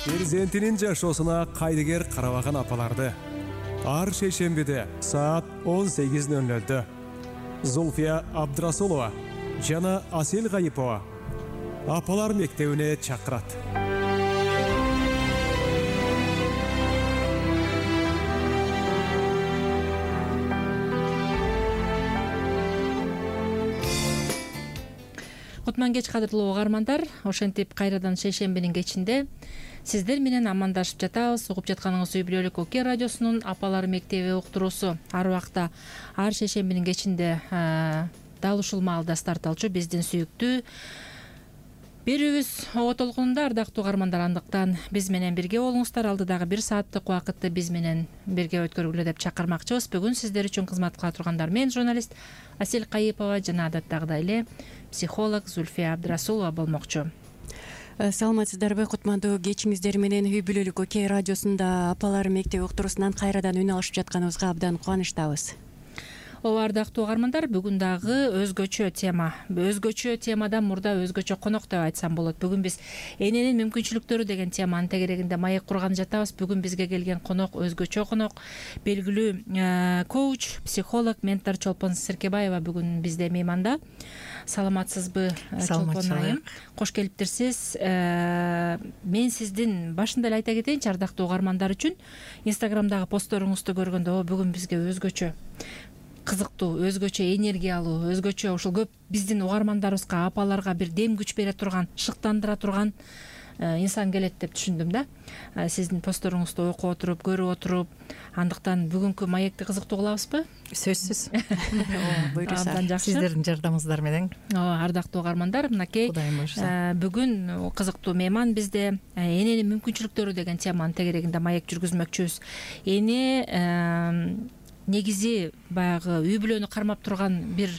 Перзентинин жашоосуна кайдыгер карабаган апаларды ар шейшембиде саат 18:00 Зульфия Абдрасулова жана Асел Гайипова апалар мектебине чакырат. Кутман кеч кадырлуу угармандар, ошентип кайрадан шейшембинин кечинде сиздер менен амандашып жатабыз. Угуп жатканыңыз үй бүлөлүк Оке радиосунун апалар мектеби уктуруусу. Ар убакта ар шейшембинин кечинде дал ушул маалда старт алчу биздин сүйүктүү берүүбүз ого толкунунда. Ардактуу угармандар, андыктан биз менен бирге болуңуздар. Алдыдагы 1 сааттык убакытты биз менен бирге өткөргүлө деп чакырмакчыбыз. Бүгүн сиздер үчүн кызмат кыла тургандар мен журналист Асел Гайипова жана адаттагыдай эле психолог Зульфия Абдрасулова болмокчу. Саламатсыздарбы, кутмандуу кечиңиздер менен үй бүлөлүк Оке радиосунда апалар мектеби уктуруусунан кайрадан үн алышып жатканыбызга абдан кубанычтабыз. Ооба, ардактуу угармандар, бүгүн дагы өзгөчө темадан мурда өзгөчө конок деп айтсам болот. Бүгүн биз эненин мүмкүнчүлүктөрү деген теманын тегерегинде маек курган жатабыз. Бүгүн бизге келген конок өзгөчө конок, белгилүү коуч, психолог, ментор Чолпон Серкебаева бүгүн бизде мейманда. Саламатсызбы, Чолпон айым? Кош келиптирсиз. Мен сиздин башында эле айта кетейинчи, ардактуу угармандар үчүн Инстаграмдагы постторуңузду көргөндө бүгүн бизге өзгөчө кызыктуу, өзгөчө энергиялуу, өзгөчө ушул көп биздин угармандарыбызга, апаларга бир дем күч бере турган, шыктандыра турган инсан келет деп түшүндүм да. Сиздин постторуңузду окуп отуруп, көрүп отуруп, андыктан бүгүнкү маекти кызыктуу кылабызбы? Сөзсүз. Буйруса. Сиздердин жардамыңыздар менен. Ардактуу угармандар, мынакей бүгүн кызыктуу мейман бизде. Эненин мүмкүнчүлүктөрү деген теманын тегерегинде маек жүргүзмөкчүбүз. Эне негизи баягы үй бүлөнү кармап турган бир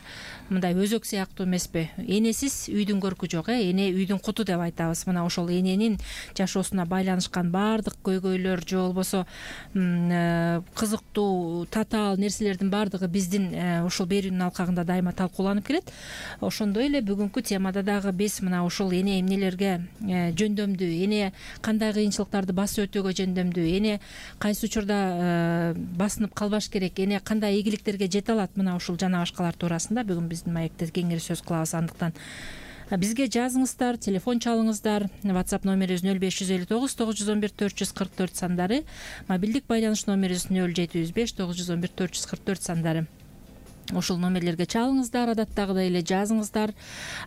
мындай өзөк сыяктуу эмеспи? Энесиз үйдүн көркү жок, эне үйдүн куту деп айтабыз. Мына ошол эненин жашоосуна байланышкан баардык көйгөйлөр же болбосо кызыктуу, татаал нерселердин баардыгы биздин ушул берүүнүн алкагында дайыма талкууланып келет. Ошондой эле бүгүнкү темада дагы биз мына ушул эне эмнелерге жөндөмдүү, эне кандай кыйынчылыктарды басып өтүүгө жөндөмдүү, эне кайсы учурда басынып калбаш керек, эне кандай ийгиликтерге жете алат, мына ушул жана башкалар туурасында бүгүн биздин маекте кеңири сөз кылабыз. Андыктан бизге жазыңыздар, телефон чалыңыздар. WhatsApp номерибиз 0559 911 444 сандары, мобилдик байланыш номерибиз 0705 911 444 сандары. Ошол номерлерге чалыңыздар, адаттагыдай эле жазыңыздар.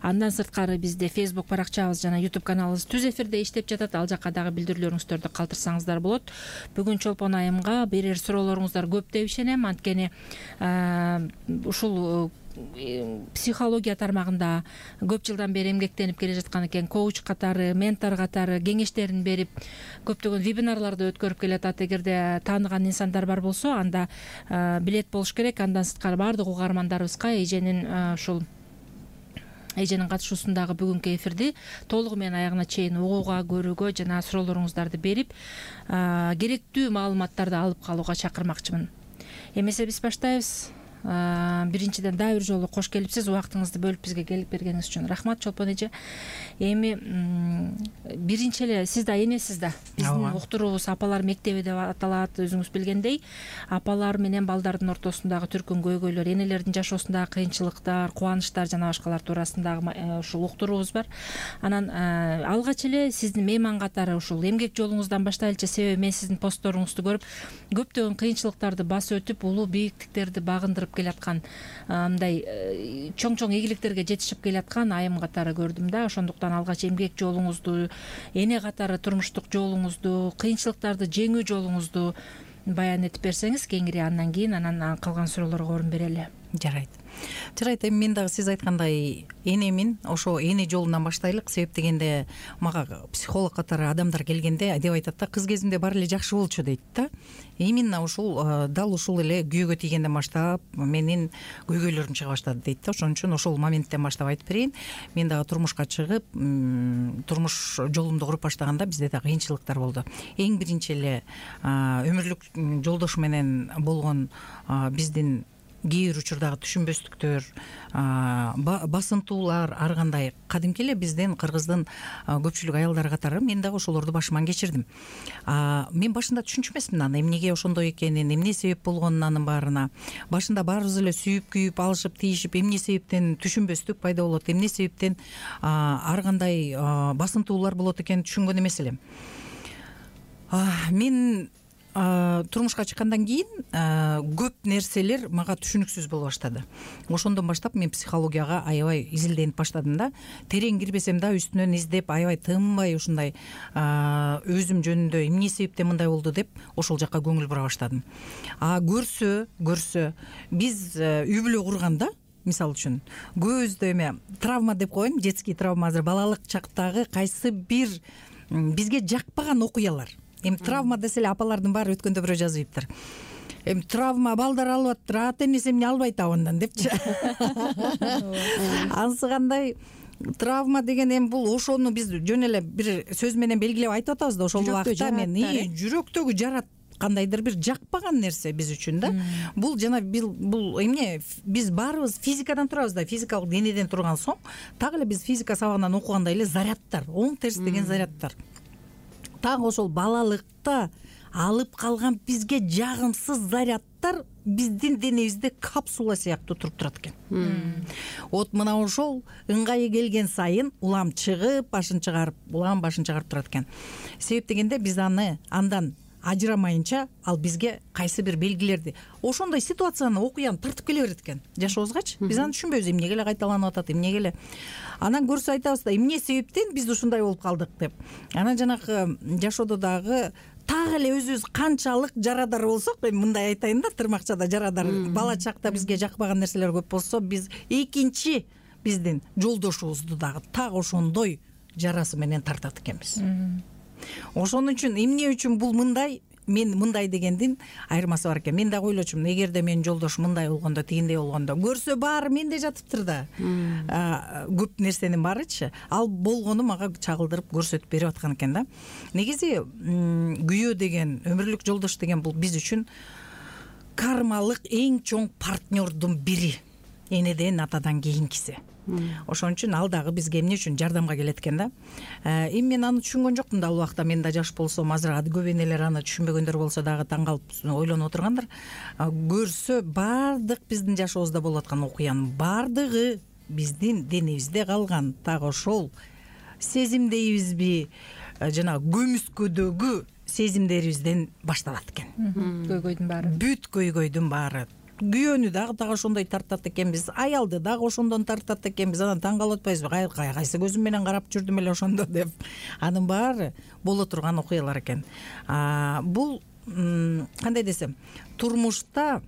Андан сырткары бизде Facebook баракчабыз жана YouTube каналыбыз түз эфирде иштеп жатат. Ал жакка дагы билдирүүлөрүңүздөрдү калтырсаңыздар болот. Бүгүн Чолпон айымга берер суроолоруңуздар көп деп ишенем. Анткени ушул психология тармагында көп жылдан бери эмгектенип келе жаткан экен. Коуч катары, ментор катары кеңештерин берип, көптөгөн вебинарларды өткөрүп келатат. Эгерде тааныган инсандар бар болсо, анда билет болуш керек. Андан сырткары баардык угармандарыбызга ушул эженин катышуусундагы бүгүнкү эфирди толугу менен аягына чейин угууга, көрүүгө жана суроолоруңуздарды берип, керектүү маалыматтарды алып калууга чакырмакчымын. Эмесе биз баштайбыз. Биринчиден дагы бир жолу кош келипсиз, убактыңызды бөлүп бизге келип бергениңиз үчүн рахмат, Чолпон эже. Эми биринчи эле сиз да энесиз да. Биздин уктуруубуз апалар мектеби деп аталат. Өзүңүз билгендей, апалар менен балдардын ортосундагы түркүн көйгөйлөр, энелердин жашоосундагы кыйынчылыктар, кубанычтар жана башкалар туурасындагы ушул уктуруубуз бар. Анан алгач эле сиздин мейман катары ушул эмгек жолуңуздан баштайлычы, себеби мен сиздин постторуңузду көрүп, көптөгөн кыйынчылыктарды басып өтүп, улуу бийиктиктерди багындырып келаткан, мындай чоң ийгиликтерге жетишип келаткан айым катары көрдүм да. Ошондуктан алгач эмгек жолуңузду, эне катары турмуштук жолуңузду, кыйынчылыктарды жеңүү жолуңузду баян этип берсеңиз кеңири, андан кийин калган суроолорго орун берели. Жарайт, эми мен дагы сиз айткандай энемин, ошо эне жолунан баштайлык. Себеп дегенде мага психолог катары адамдар келгенде деп айтат да, кыз кезимде баары эле жакшы болчу дейт да. Именно ушул дал ушул эле күйөөгө тийгенден баштап менин көйгөйлөрүм чыга баштады дейт да. Ошон үчүн ошол моменттен баштап айтып берейин. Мен дагы турмушка чыгып, турмуш жолумду куруп баштаганда бизде да кыйынчылыктар болду. Эң биринчи эле өмүрлүк жолдош менен болгон биздин кээ бир учурдагы түшүнбөстүктөр, басынтуулар ар кандай кадимки эле биздин кыргыздын көпчүлүк аялдары катары мен дагы ошолорду башыман кечирдим. Мен башында түшүнчү эмесмин аны эмнеге ошондой экенин, эмне себеп болгонун анын баарына. Башында баарыбыз эле сүйүп күйүп алышып тийишип эмне себептен түшүнбөстүк пайда болот, эмне себептен ар кандай басынтуулар болот экенин түшүнгөн эмес элем. Мен турмушка чыккандан кийин көп нерселер мага түшүнүксүз боло баштады. Ошондон баштап мен психологияга аябай изилденип баштадым да. Терең кирбесем да үстүнөн издеп, аябай тынбай ушундай өзүм жөнүндө эмне себептен мындай болду деп ошол жакка көңүл бура баштадым. Көрсө биз үй бүлө курганда, мисалы үчүн көбүбүздө эме травма деп коеюн, детский травма, азыр балалык чактагы кайсы бир бизге жакпаган окуялар. Эми травма десе эле апалардын баары өткөндө бирөө жазып ийиптир. Эми травма балдар алып атыптыр, ата энеси эмне албайт абандан депчи. Анысы кандай травма деген эми бул ошону биз жөн эле бир сөз менен белгилеп айтып атабыз да, ошол убакта мен жүрөктөгү жарат кандайдыр бир жакпаган нерсе биз үчүн да. Бул жана бул эмне, биз баарыбыз физикадан турабыз да, физикалык денеден турган соң так эле биз физика сабагынан окугандай эле зарядтар, оң терс деген зарядтар. Так ошол балалыкта алып калган бизге жагымсыз зарядтар биздин денебизде капсула сыяктуу туруп турат экен. Вот мына ошол ыңгайы келген сайын улам чыгып, башын чыгарып турат экен. Себеп дегенде биз андан ажырамайынча ал бизге кайсы бир белгилерди, ошондой ситуацияны, окуяны тартып келе берет экен жашообузгачы. Биз аны түшүнбөйбүз, эмнеге эле кайталанып атат, эмнеге эле. Анан көрсө айтабыз да, эмне себептен биз ушундай болуп калдык деп. Анан жанакы жашоодо дагы так эле өзүбүз канчалык жарадар болсок, эми мындай айтайын да, тырмакчада жарадар, бала чакта бизге жакпаган нерселер көп болсо, биз экинчи биздин жолдошубузду дагы так ошондой жарасы менен тартат экенбиз. Ошон үчүн эмне үчүн бул мындай, мен мындай дегендин айырмасы бар экен. Мен дагы ойлочумун, эгерде менин жолдошум мындай болгондо, тигиндей болгондо, көрсө баары менде жатыптыр да. Көп нерсенин баарычы, ал болгону мага чагылдырып көрсөтүп берип аткан экен да. Негизи күйөө деген, өмүрлүк жолдош деген бул биз үчүн кармалык эң чоң партнердун бири. Энеден, атадан кийинкиси. Ошон үчүн ал дагы бизге эмне үчүн жардамга келет экен да. Эми мен аны түшүнгөн жокмун да, ал убакта мен да жаш болсом, азыр көп энелер аны түшүнбөгөндөр болсо дагы таң калып ойлонуп отургандар. Көрсө баардык биздин жашообузда болуп аткан окуянын баардыгы биздин денебизде калган так ошол сезим дейбизби, жана көмүскөдөгү сезимдерибизден башталат экен. Көйгөйдүн баары. Бүт көйгөйдүн баары. Күйөөнү дагы так ошондой тартат экенбиз, аялды дагы ошондон тартат экенбиз. Анан таң калып атпайбызбы, кайсы көзүм менен карап жүрдүм эле ошондо деп. Анын баары боло турган окуялар экен. Бул кандай десем, турмушта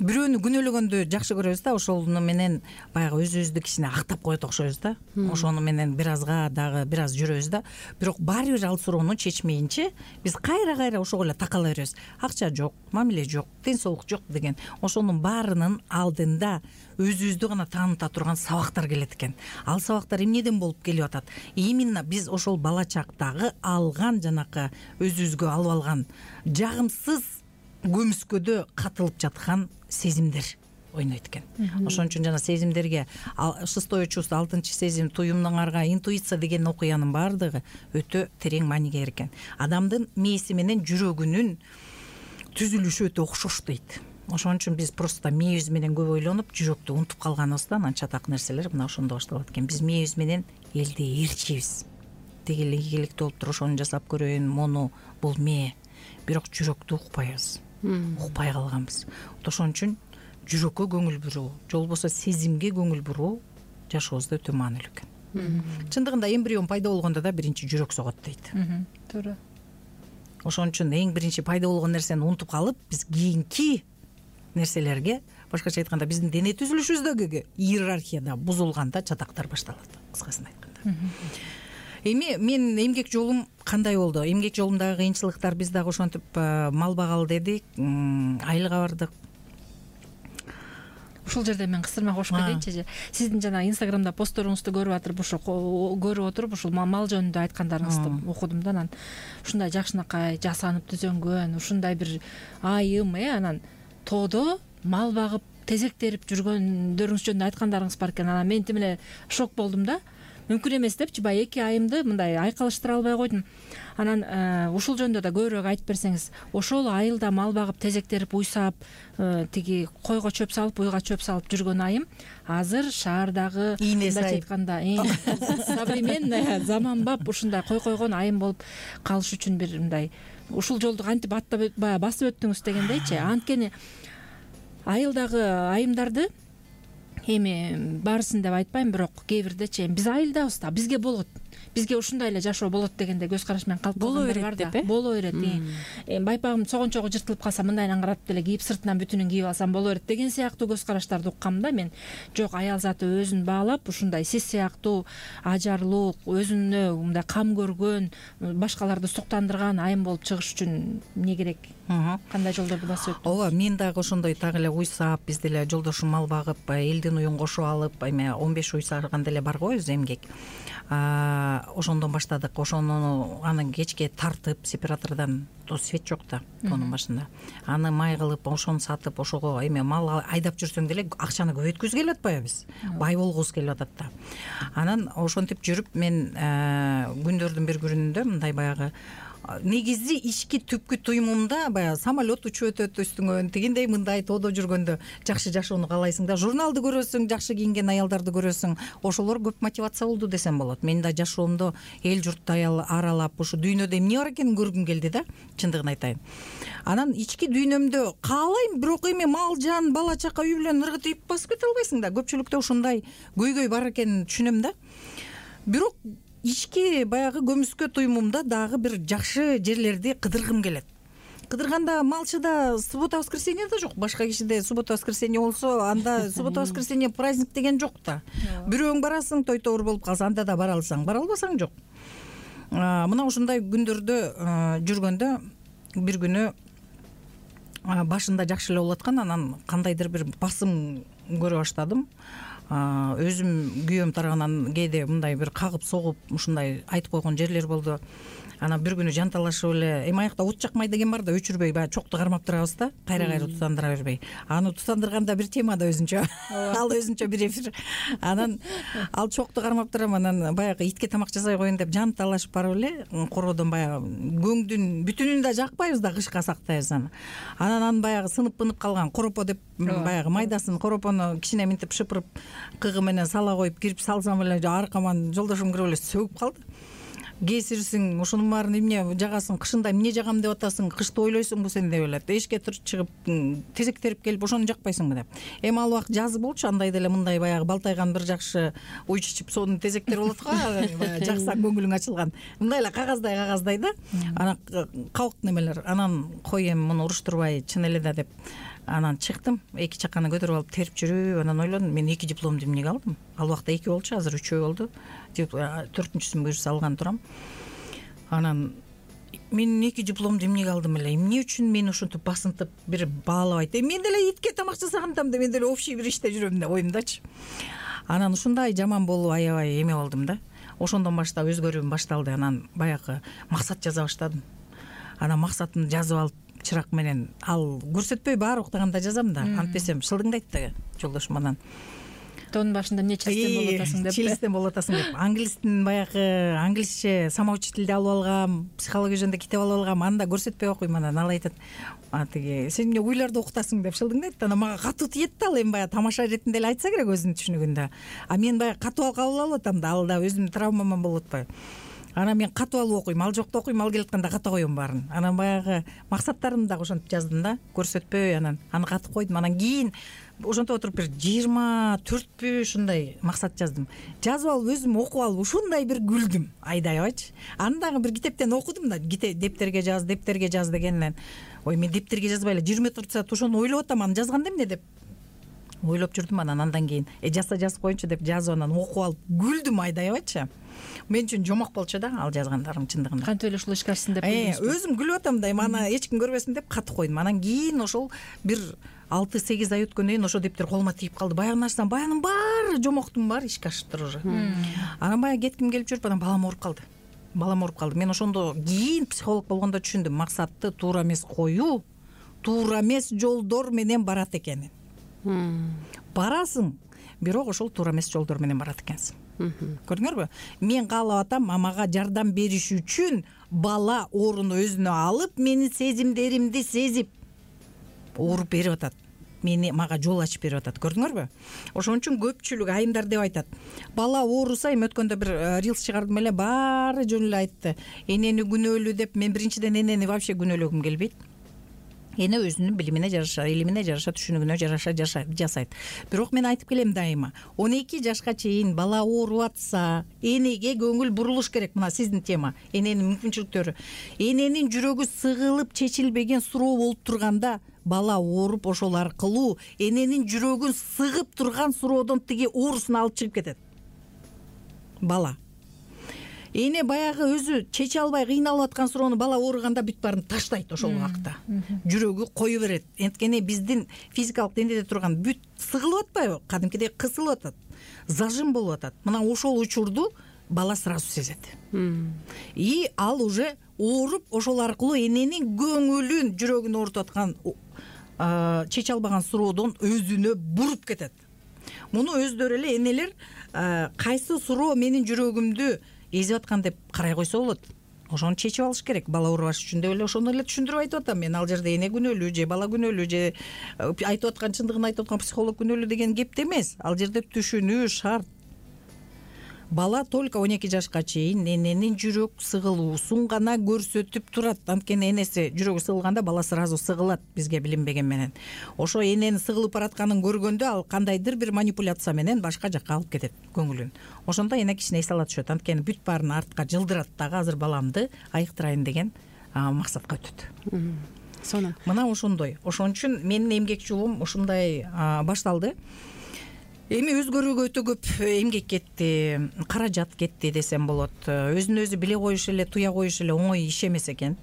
бирөөнү күнөөлөгөндү жакшы көрөбүз да, ошону менен баягы өзүбүздү кичине актап коет окшойбуз да. Ошону менен бир аз жүрөбүз да. Бирок баары бир ал суроону чечмейинче биз кайра ошого эле такала беребиз. Акча жок, мамиле жок, ден соолук жок деген. Ошонун баарынын алдында өзүбүздү гана тааныта турган сабактар келет экен. Ал сабактар эмнеден болуп келип атат? Именно биз ошол бала чактагы алган, жанакы өзүбүзгө алып алган жагымсыз көмүскөдө катылып жаткан сезимдер ойнойт экен. Ошон үчүн жана сезимдерге 6-е чувство, 6-чы сезим, туюмдун арга, интуиция деген окуянын баардыгы өтө терең мааниге ээ экен. Адамдын мээси менен жүрөгүнүн түзүлүшү өтө окшош дейт. Ошон үчүн биз просто мээбиз менен көп ойлонуп, жүрөктү унутуп калганыбыздан анча так нерселер мына ошондо башталат экен. Биз мээбиз менен элди ээрчийбиз. Тигил ийгиликтүү болуптур, ошону жасап көрөйүн, мону, бул мээ. Бирок жүрөктү укпайбыз. Укпай калганбыз. Ошон үчүн жүрөккө көңүл буруу, же болбосо сезимге көңүл буруу жашообузда өтө маанилүү экен. Чындыгында эмбрион пайда болгондо да биринчи жүрөк согот дейт. Туура. Ошон үчүн эң биринчи пайда болгон нерсени унутуп калып, биз кийинки нерселерге, башкача айтканда, биздин дене түзүлүшүбүздөгү иерархияда бузулганда чатактар башталат, кыскасын айтканда. Эми мен эмгек жолум кандай болду? Эмгек жолумдагы кыйынчылыктар, биз дагы ошентип мал багалы дедик, айылга бардык. Ушул жерде мен кысырма кошуп кетейинчи. Сиздин жана Инстаграмда постторуңузду көрүп атып, көрүп отуруп, ушул мал жөнүндө айткандарыңызды окудум да. Анан ушундай жакшынакай жасанып түзөнгөн, ушундай бир айым, анан тоодо мал багып тезек терип жүргөндөрүңүз жөнүндө айткандарыңыз бар экен. Анан мен тим эле шок болдум да. Мүмкүн эмес депчи, баягы 2 айымды мындай айкалыштыра албай койдум. Анан ушул жөнүндө да көбүрөөк айтып берсеңиз. Ошол айылда мал багып тезек терип уйсап, тиги койго чөп салып, уйга чөп салып жүргөн айым азыр шаардагы мындайча айтканда современный, заманбап ушундай кой койгон айым болуп калыш үчүн бир мындай ушул жолду кантип баягы басып өттүңүз дегендейчи. Анткени айылдагы айымдарды эми баарысын деп айтпайм, бирок кээ бирдечи биз айылдабыз да, бизге болот, бизге ушундай эле жашоо болот дегенде көз караш менен калып калгандар бар да. Боло берет. Байпагым согончогу жыртылып калса мындайынан карап деле кийип сыртынан бүтүнүн кийип алсам боло берет деген сыяктуу көз караштарды уккам да мен. Жок, аял заты өзүн баалап ушундай сиз сыяктуу ажарлуу, өзүнө мындай кам көргөн, башкаларды суктандырган айым болуп чыгыш үчүн эмне керек? Кандай жолдорду басып өттү? Ооба, мен дагы ошондой так эле уйсап, биз деле жолдошум мал багып, элдин уюн кошуп алып, эми 15 уйсарган деле бар го өзү эмгек. Ошондон баштадык. Ошону аны кечке тартып, сепаратордон, свет жок да тоонун башында. Аны май кылып, ошону сатып, ошого эми мал айдап жүрсөң деле акчаны көбөйткүбүз келип атпайбы биз? Бай болгубуз келип атат да. Анан ошентип жүрүп мен күндөрдүн бир күнүндө мындай баягы негизи ички түпкү туюмумда баягы самолет учуп өтөт үстүңөн, тигиндей мындай тоодо жүргөндө жакшы жашоону каалайсың да, журналды көрөсүң, жакшы кийинген аялдарды көрөсүң, ошолор көп мотивация болду десем болот. Мен да жашоомдо эл журтты аралап, ушу дүйнөдө эмне бар экенин көргүм келди да, чындыгын айтайын. Анан ички дүйнөмдө каалайм, бирок эми мал жан, бала чака, үй бүлөнү ыргытып ийип басып кете албайсың да. Көпчүлүктө ушундай көйгөй бар экенин түшүнөм да. Бирок ички баягы көмүскө туюмумда дагы бир жакшы жерлерди кыдыргым келет. Кыдырганда малчыда суббота воскресенье да жок. Башка кишиде суббота воскресенье болсо, анда суббота воскресенье праздник деген жок да. Бирөөң барасың, той тобур болуп калса, анда да бара алсаң, бара албасаң жок. Мына ушундай күндөрдө жүргөндө бир күнү башында жакшы эле болуп аткан, анан кандайдыр бир басым көрө баштадым. Өзүм күйөөм тарабынан кээде мындай бир кагып согуп ушундай айтып койгон жерлер болду. Анан бир күнү жанталашып эле, эми аякта от жакмай деген бар да, өчүрбөй баягы чокту кармап турабыз да, кайра тутандыра бербей. Аны тутандырганда бир тема да өзүнчө. Ал өзүнчө бир эфир. Анан ал чокту кармап турам, анан баягы итке тамак жасай коеюн деп жанталашып барып эле короодон баягы көңдүн бүтүнүн да жакпайбыз да, кышка сактайбыз аны. Анан баягы сынып калган коропо деп баягы майдасын коропону кичине минтип шыпырып кыгы менен сала коюп кирип салсам эле аркаман жолдошум кирип эле сөгүп калды. Кесирсиң, ушунун баарын эмне жагасың, кышында эмне жагам деп атасың, кышты ойлойсуңбу сен деп эле. Эшикке чыгып тезек терип келип ошону жакпайсыңбы деп. Эми ал убакыт жазы болчу, андай деле мындай баягы балтайган бир жакшы уй чичип сонун тезектер болот го, жаксаң көңүлүң ачылган. Мындай эле кагаздай да. Анан кабык немелер. Анан кой эми муну уруштурбай чын эле да деп. Анан чыктым, 2 чаканы көтөрүп алып терип жүрүп, анан ойлодум, мен 2 дипломду эмнеге алдым? Ал убакта 2 болчу, азыр 3 болду. 4-сүн буюрса алган турам. Анан мен 2 дипломду эмнеге алдым эле? Эмне үчүн мени ушинтип басынтып бир баалабайт? Мен деле итке тамак жасагандам да, мен деле общий бир иште жүрөм да, оюмдачы. Анан ушундай жаман болуп аябай эме болдум да. Ошондон баштап өзгөрүүм башталды. Анан баягы максат жаза баштадым. Анан максатымды жазып алып чырак менен ал көрсөтпөй баары уктаганда жазам да. Антпесем шылдыңдайт да жолдошум. Анан тоонун башында эмне чилистен болуп атасың деп. Чилистен болуп атасың деп. Англистин баягы англисче самоучительди алып алгам, психология жөнүндө китеп алып алгам. Анда көрсөтпөй окуйм. Анан ал айтат, тиги сен эмне уйларды окутасың деп шылдыңдайт. Анан мага катуу тиет да, ал эми баягы тамаша иретинде эле айтса керек өзүнүн түшүнүгүндө. А мен баягы катуу кабыл алып атам да, ал да өзүмдүн травмаман болуп атпайбы. Анан мен катуу алып окуйм, ал жокто окуйм, ал келатканда ката коем баарын. Анан баягы максаттарымды дагы ошентип жаздым да, көрсөтпөй, анан аны катып койдум. Анан кийин ошентип отуруп бир 24 ушундай максат жаздым. Жазып алып өзүм окуп алып ушундай бир күлдүм, айдай абайчы. Аны дагы бир китептен окудум да, дептерге жаз дегеннен. Ой, мен дептерге жазбай эле 24 саат ошону ойлоп атам, аны жазганда эмне деп ойлоп жүрдүм. Андан кийин жазып коеюнчу деп жазып, анан окуп алып күлдүм, айдай абайчы. Мен үчүн жомок болчу да ал жазгандарым чындыгында. Кантип эле ушул ишке ашсын деп өзүм күлүп атам да, аны эч ким көрбөсүн деп катып койдум. Анан кийин ошол бир 6-8 ай өткөндөн кийин ошо дептер колума тийип калды. Баягы нерсенин баягынын баары жомоктун баары ишке ашыптыр уже. Анан баягы кетким келип жүрүп, анан балам ооруп калды. Мен ошондо кийин психолог болгондо түшүндүм, максатты туура эмес коюу туура эмес жолдор менен барат экенин. Барасың, бирок ошол туура эмес жолдор менен барат экенсиң. Көрдүңөрбү? Мен каалап атам, мага жардам бериш үчүн бала орун өзүнө алып, менин сезимдеримди сезип ооруп берип атат. Мага жол ачып берип атат. Көрдүңөрбү? Ошон үчүн көпчүлүк айымдар деп айтат. Бала ооруса, эми өткөндө бир рилс чыгардым эле, баары жөн эле айтты. Энени күнөөлүү деп, мен биринчиден энени вообще күнөөлөгүм келбейт. Эне өзүнүн билимине жараша, илимине жараша, түшүнүгүнө жараша жасайт. Бирок мен айтып келем дайыма, 12 жашка чейин бала ооруп атса, энеге көңүл бурулуш керек. Мына сиздин тема, эненин мүмкүнчүлүктөрү. Эненин жүрөгү сыгылып чечилбеген суроо болуп турганда, бала ооруп ошол аркылуу эненин жүрөгүн сыгып турган суроодон тиги оорусун алып чыгып кетет. Бала. Эне баягы өзү чече албай кыйналып аткан суроону бала ооруганда бүт баарын таштайт ошол убакта. Жүрөгү кое берет. Анткени биздин физикалык деңгээлде турган бүт сыгылып атпайбы? Кадимкидей кысылып атат. Зажим болуп атат. Мына ошол учурду бала сразу сезет. И ал уже ооруп ошол аркылуу эненин көңүлүн, жүрөгүн оорутуп аткан чече албаган суроодон өзүнө буруп кетет. Муну өздөрү эле энелер кайсы суроо менин жүрөгүмдү эзип аткан деп карай койсо болот. Ошону чечип алыш керек. Бала оорубаш үчүн деп эле ошону эле түшүндүрүп айтып атам. Мен ал жерде эне күнөөлүү же бала күнөөлүү же айтып аткан чындыгын айтып аткан психолог күнөөлүү деген кепте эмес. Ал жерде түшүнүү шарт. Бала только 12 жашка чейин эненин жүрөк сыгылуусун гана көрсөтүп турат. Анткени энеси жүрөгү сыгылганда бала сразу сыгылат бизге билинбеген менен. Ошо эненин сыгылып баратканын көргөндө ал кандайдыр бир манипуляция менен башка жакка алып кетет көңүлүн. Ошондо эне кичине эс ала түшөт. Анткени бүт баарын артка жылдырат дагы азыр баламды айыктырайын деген максатка өтөт. Сонун. Мына ошондой. Ошон үчүн менин эмгек жолум ушундай башталды. Эми өзгөрүүгө өтө көп эмгек кетти, каражат кетти десем болот. Өзүн өзү биле коюш эле, туя коюш эле оңой иш эмес экен.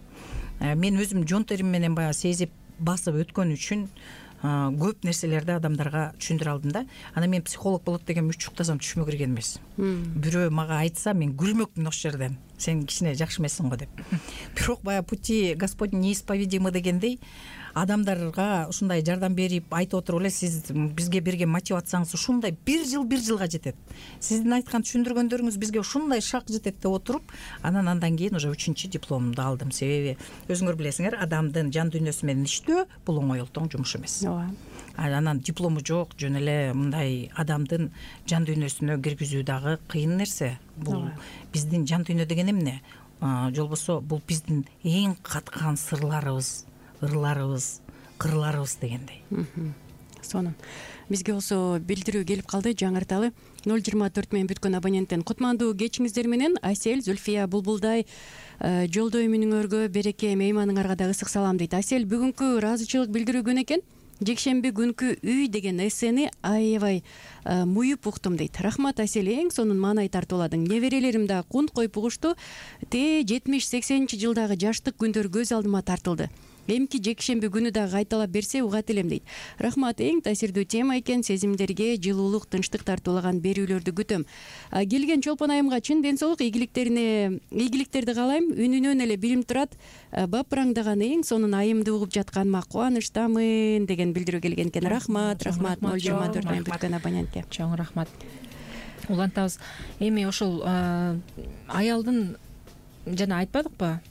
Мен өзүм жон терим менен баягы сезип басып өткөн үчүн көп нерселерди адамдарга түшүндүрө алдым да. Анан мен психолог болот деген үч уктасам түшүмө кирген эмес. Бирөө мага айтса, мен күлмөкмүн ошол жерден. Сен кичине жакшы эмессиң го деп. Бирок баягы пути Господень неисповедимы дегендей, адамдарга ушундай жардам берип айтып отуруп эле сиз бизге берген мотивацияңыз ушундай бир жылга жетет. Сиздин айткан түшүндүргөндөрүңүз бизге ушундай шак жетет деп отуруп, андан кийин уже 3-чү дипломумду алдым. Себеби өзүңөр билесиңер, адамдын жан дүйнөсү менен иштөө бул оңой олтоң жумуш эмес. Анан диплому жок, жөн эле мындай адамдын жан дүйнөсүнө киргизүү дагы кыйын нерсе. Бул биздин жан дүйнө деген эмне? Жолбосо бул биздин эң каткан сырларыбыз, ырларыбыз, кырларыбыз дегендей. Сонун. Бизге болсо билдирүү келип калды, жаңырталы. 024 менен бүткөн абоненттен кутмандуу кечиңиздер менен Асель, Зульфия Булбулдай жолдой мүнүңөргө береке, мейманыңарга да ысык салам дейт. Асель, бүгүнкү ыраазычылык билдирүү күнү экен. Жекшемби күнкү үй деген эссени аябай муюп уктум дейт. Рахмат Асель, эң сонун маанай тартууладың. Неберелерим да кунт коюп угушту. 70-80 жылдагы жаштык күндөр көз алдыма тартылды. Эмки жекшемби күнү да кайталап берсе угат элем дейт. Рахмат, эң таасирдүү тема экен. Сезимдерге жылуулук, тынчтык тартуулаган берүүлөрдү күтөм. Келген Чолпон айымга чын ден соолук, ийгиликтерди каалайм. Үнүнөн эле билип турат. Бапыраңдаган эң сонун айымды угуп жатканыма кубанычтамын деген билдирүү келген экен. Рахмат, 024 менен бүткөн абонентке. Чоң рахмат. Улантабыз. Эми ошол аялдын жана айтпадыкпы?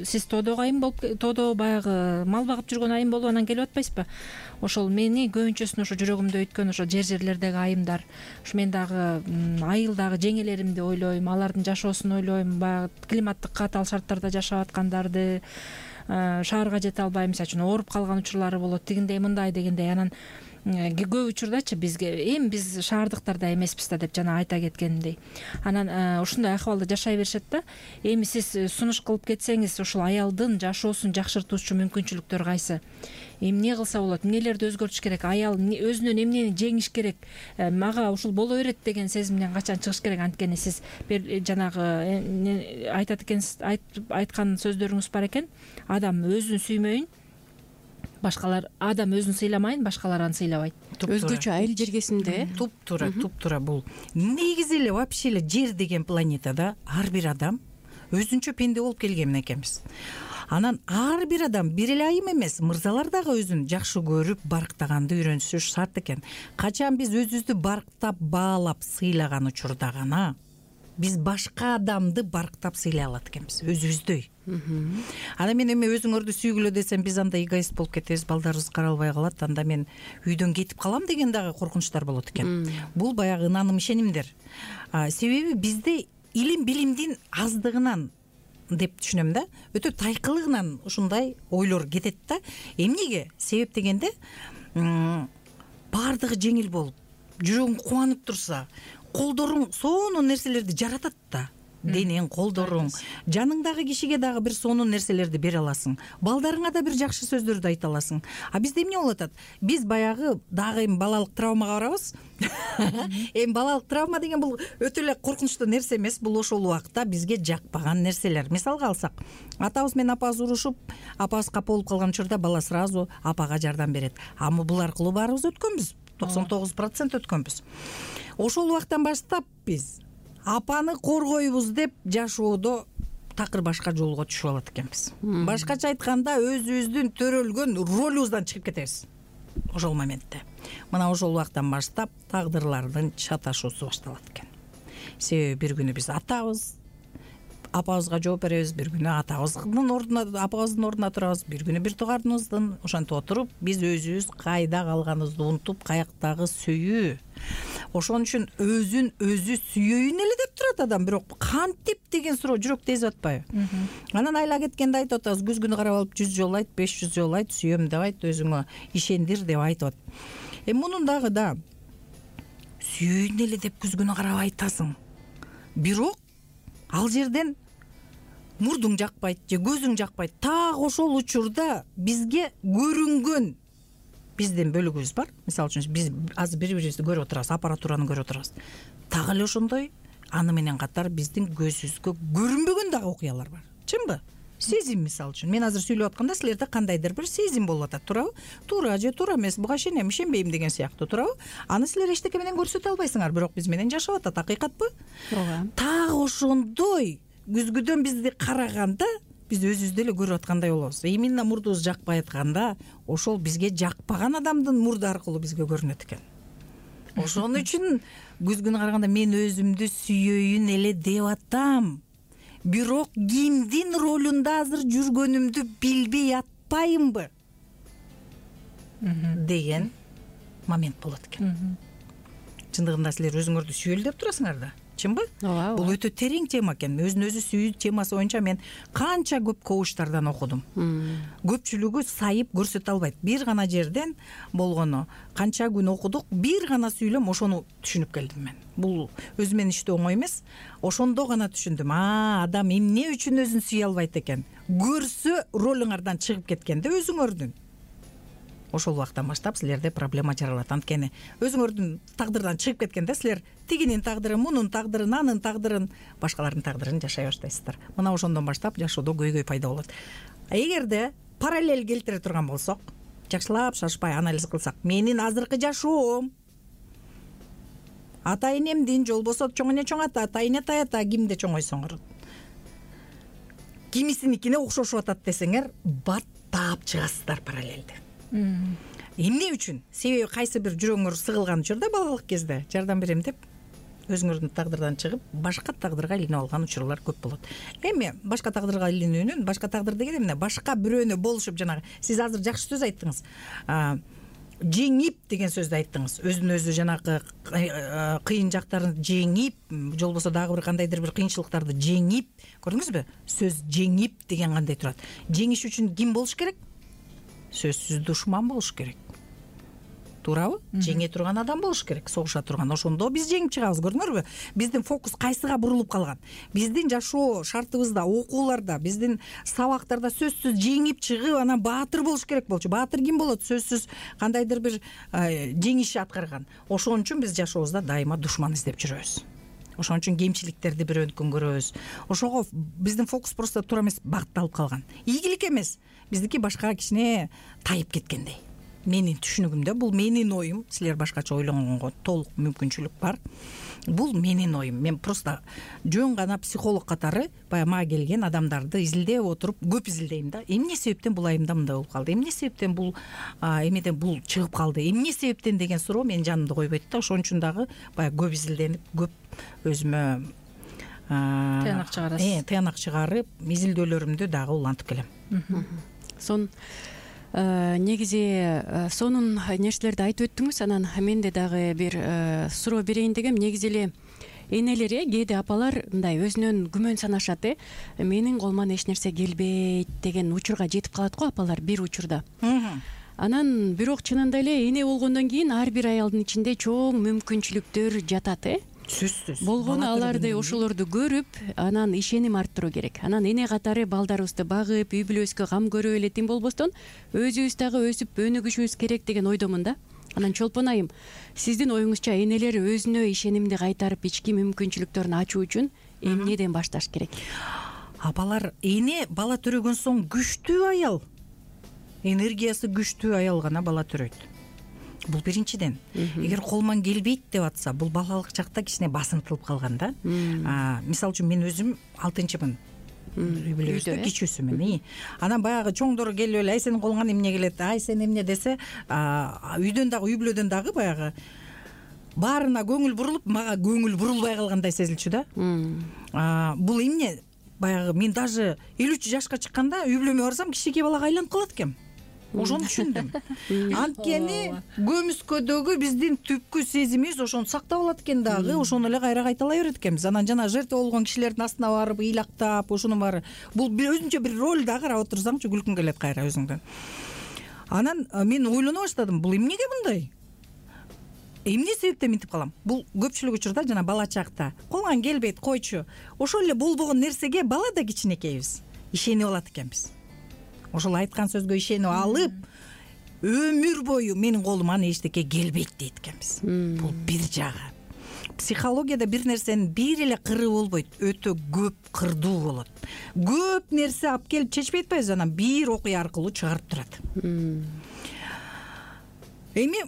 Сиз тоодо айым болуп, тоодо баягы мал багып жүргөн айым болуп анан келип атпайсызбы? Ошол мени көбүнчөсүн ошо жүрөгүмдө өткөн ошо жерлердеги айымдар. Ушу мен дагы айылдагы жеңелеримди ойлойм, алардын жашоосун ойлойм, баягы климаттык катаал шарттарда жашап аткандарды, шаарга жете албай, мисалы үчүн ооруп калган учурлары болот, тигиндей мындай дегендей. Анан көп учурдачы бизге эми биз шаардыктарда эмеспиз да деп жана айта кеткендей. Анан ушундай акыбалда жашай беришет да. Эми сиз сунуш кылып кетсеңиз, ушул аялдын жашоосун жакшыртуучу мүмкүнчүлүктөр кайсы? Эми эмне кылса болот? Эмнелерди өзгөртүш керек? Аял өзүнөн эмнени жеңиш керек? Мага ушул боло берет деген сезимден качан чыгыш керек? Анткени сиз жанагы айтат экенсиз, айткан сөздөрүңүз бар экен. Адам өзүн сүймөйүн, адам өзүн сыйламайын, башкалар аны сыйлабайт. Өзгөчө айыл жергесинде туптуура бул негизи эле вообще эле жер деген планетада ар бир адам өзүнчө пенде болуп келген экенбиз. Анан ар бир адам бир эле айым эмес, мырзалар дагы өзүн жакшы көрүп барктаганды үйрөнүшү шарт экен. Качан биз өзүбүздү барктап, баалап, сыйлаган учурда гана биз башка адамды барктап сыйлай алат экенбиз, өзүбүздөй. Анда мен эми өзүңөрдү сүйгүлө десем, биз анда эгоист болуп кетебиз, балдарыбыз каралбай калат, анда мен үйдөн кетип калам деген дагы коркунучтар болот экен. Бул баягы ынаным, ишенимдер. Себеби бизде илим билимдин аздыгынан деп түшүнөм да, өтө тайкылыгынан ушундай ойлор кетет да. Эмнеге? Себеп дегенде баардыгы жеңил болуп, жүрөгүң кубанып турса, колдоруң сонун нерселерди жаратат да. Денең, колдоруң, жаныңдагы кишиге дагы бир сонун нерселерди бере аласың. Балдарыңа да бир жакшы сөздөрдү айта аласың. А бизде эмне болуп атат? Биз баягы дагы эми балалык травмага барабыз. Эми балалык травма деген бул өтө эле коркунучтуу нерсе эмес, бул ошол убакта бизге жакпаган нерселер. Мисалга алсак, атабыз менен апабыз урушуп, апабыз капа болуп калган учурда бала сразу апага жардам берет. Ама бул аркылуу баарыбыз өткөнбүз. 99% өткөнбүз. Ошол убактан баштап биз апаны коргойбуз деп жашоодо такыр башка жолго түшүп алат экенбиз. Башкача айтканда, өзүбүздүн төрөлгөн ролубуздан чыгып кетебиз ошол моментте. Мына ошол убактан баштап тагдырлардын чаташуусу башталат экен. Себеби бир күнү биз атабыз, апабызга жооп беребиз, бир күнү атабыздын ордуна, апабыздын ордуна турабыз, бир күнү бир туугандыбыздын. Ошентип отуруп, биз өзүбүз кайда калганыбызды унутуп, каяктагы сүйүү. Ошон үчүн өзүн өзү сүйөйүн эле деп турат адам, бирок кантип деген суроо жүрөктү эзип атпайбы? Анан айла кеткенде айтып атабыз, күзгүнү карап алып 100 жолу айт, 500 жолу айт, сүйөм деп айт, өзүңө ишендир деп айтып атат. Мунун дагы да сүйөйүн эле деп күзгүнү карап айтасың. Бирок ал жерден мурдуң жакпайт же көзүң жакпайт. Так ошол учурда бизге көрүнгөн биздин бөлүгүбүз бар. Мисалы үчүн биз азыр бири-бирибизди көрүп отурабыз, аппаратураны көрүп отурабыз. Так эле ошондой аны менен катар биздин көзүбүзгө көрүнбөгөн дагы окуялар бар. Чынбы? Сезим, мисалы үчүн. Мен азыр сүйлөп атканда силерде кандайдыр бир сезим болуп атат, туурабы? Туура же туура эмес, буга ишенем, ишенбейм деген сыяктуу, туурабы? Аны силер эчтеке менен көрсөтө албайсыңар, бирок биз менен жашап атат, акыйкатпы? Ооба. Так ошондой күзгүдөн бизди караганда биз өзүбүздү эле көрүп аткандай болобуз. Именно мурдубуз жакпай атканда, ошол бизге жакпаган адамдын мурду аркылуу бизге көрүнөт экен. Ошон үчүн күзгүнү караганда мен өзүмдү сүйөйүн эле деп атам. Бирок кимдин ролунда азыр жүргөнүмдү билбей атпайымбы деген момент болот экен. Чындыгында силер өзүңөрдү сүйөлү деп турасыңар да. Чынбы? Ооба. Бул өтө терең тема экен. Өзүн өзү сүйүү темасы боюнча мен канча көп коучтардан окудум. Көпчүлүгү сайып көрсөтө албайт. Бир гана жерден болгону канча күн окудук, бир гана сүйлөм, ошону түшүнүп келдим мен. Бул өзү менен иштөө оңой эмес. Ошондо гана түшүндүм. Адам эмне үчүн өзүн сүйө албайт экен? Көрсө ролуңардан чыгып кеткенде өзүңөрдүн. Ошол убактан баштап силерде проблема жаралат. Анткени өзүңөрдүн тагдырдан чыгып кеткенде силер тигинин тагдырын, мунун тагдырын, анын тагдырын, башкалардын тагдырын жашай баштайсыздар. Мына ошондон баштап жашоодо көйгөй пайда болот. Эгерде параллель келтире турган болсок, жакшылап шашпай анализ кылсак, менин азыркы жашоом ата энемдин, же болбосо чоң эне чоң ата, тайыне таята кимде чоңойсоңор, кимисиникине окшошуп атат десеңер, баттап чыгасыздар параллелди. Эмне үчүн? Себеби кайсы бир жүрөгүңөр сыгылган учурда, балалык кезде жардам берем деп өзүңөрдүн тагдырдан чыгып, башка тагдырга илинип алган учурлар көп болот. Эми башка тагдырга илинүүнүн, башка тагдыр деген эмне? Башка бирөөнө болушуп, жанагы сиз азыр жакшы сөз айттыңыз. Жеңип деген сөздү айттыңыз. Өзүн өзү жанагы кыйын жактарын жеңип, же болбосо дагы бир кандайдыр бир кыйынчылыктарды жеңип, көрдүңүзбү? Сөз жеңип деген кандай турат? Жеңиш үчүн ким болуш керек? Сөзсүз душман болуш керек. Туурабы? Жеңе турган адам болуш керек, согуша турган. Ошондо биз жеңип чыгабыз, көрдүңөрбү? Биздин фокус кайсыга бурулуп калган? Биздин жашоо шартыбызда, окууларда, биздин сабактарда сөзсүз жеңип чыгып, анан баатыр болуш керек болчу. Баатыр ким болот? Сөзсүз кандайдыр бир жеңиш аткарган. Ошон үчүн биз жашообузда дайыма душман издеп жүрөбүз. Ошон үчүн кемчиликтерди бирөөнүкүн көрөбүз. Ошого биздин фокус просто туура эмес бакталып калган. Ийгилик эмес. Биздики башка кичине тайып кеткендей. менин түшүнүгүмдө, бул менин оюм, силер башкача ойлогонго толук мүмкүнчүлүк бар. Бул менин оюм. Мен просто жөн гана психолог катары баягы мага келген адамдарды изилдеп отуруп, көп изилдейм да. Эмне себептен бул айымда мындай болуп калды? Эмне себептен бул эмеден бул чыгып калды? Эмне себептен деген суроо менин жанымды койбойт да. Ошон үчүн дагы баягы көп изилденип, көп өзүмө тыянак чыгарасыз. Тыянак чыгарып, изилдөөлөрүмдү дагы улантып келем. Негизи сонун нерселерди айтып өттүңүз. Анан менде дагы бир суроо берейин дегем. Негизи эле энелер, кээде апалар мындай өзүнөн күмөн санашат. Менин колуман эч нерсе келбейт деген учурга жетип калат го апалар бир учурда. Анан бирок чынында эле эне болгондон кийин ар бир аялдын ичинде чоң мүмкүнчүлүктөр жатат. Сөзсүз. Болгону аларды ошолорду көрүп, анан ишеним арттыруу керек. Анан эне катары балдарыбызды багып, үй бүлөбүзгө кам көрүп эле тим болбостон, өзүбүз дагы өсүп өнүгүшүбүз керек деген ойдомун да. Анан Чолпон айым, сиздин оюңузча энелер өзүнө ишенимди кайтарып, ички мүмкүнчүлүктөрүн ачуу үчүн эмнеден башташ керек? Апалар, эне бала төрөгөн соң күчтүү аял, энергиясы күчтүү аял гана бала төрөйт. Бул биринчиден. Эгер колуман келбейт деп атса, бул балалык чакта кичине басынтылып калган да. Мисалы үчүн мен өзүм 6-мын. Үй бүлөбүздө кичүүсүмүн. Анан баягы чоңдор келип эле, ай сенин колуңан эмне келет, ай сен эмне десе, үйдөн дагы, үй бүлөдөн дагы баягы баарына көңүл бурулуп, мага көңүл бурулбай калгандай сезилчү да. Бул эмне? Баягы мен даже 53 жашка чыкканда үй бүлөмө барсам кичинекей балага айланып калат экенмин. Ошону түшүндүм. Анткени көмүскөдөгү биздин түпкү сезимибиз ошону сактап алат экен дагы, ошону эле кайра кайталай берет экенбиз. Анан жана жертва болгон кишилердин астына барып ыйлактап, ошонун баары бул өзүнчө бир роль да, карап отурсаңчы күлкүң келет кайра өзүңдөн. Анан мен ойлоно баштадым, бул эмнеге мындай? Эмне себептен мынтип калам? Бул көпчүлүк учурда жана бала чакта колуңан келбейт, койчу. Ошол эле болбогон нерсеге бала да кичинекейбиз ишенип алат экенбиз. Ошол айткан сөзгө ишенип алып, өмүр бою менин колуман эчтеке келбейт дейт экенбиз. Бул бир жагы. Психологияда бир нерсенин бир эле кыры болбойт, өтө көп кырдуу болот. Көп нерсе алып келип чечпей атпайбыз, анан бир окуя аркылуу чыгарып турат. Эми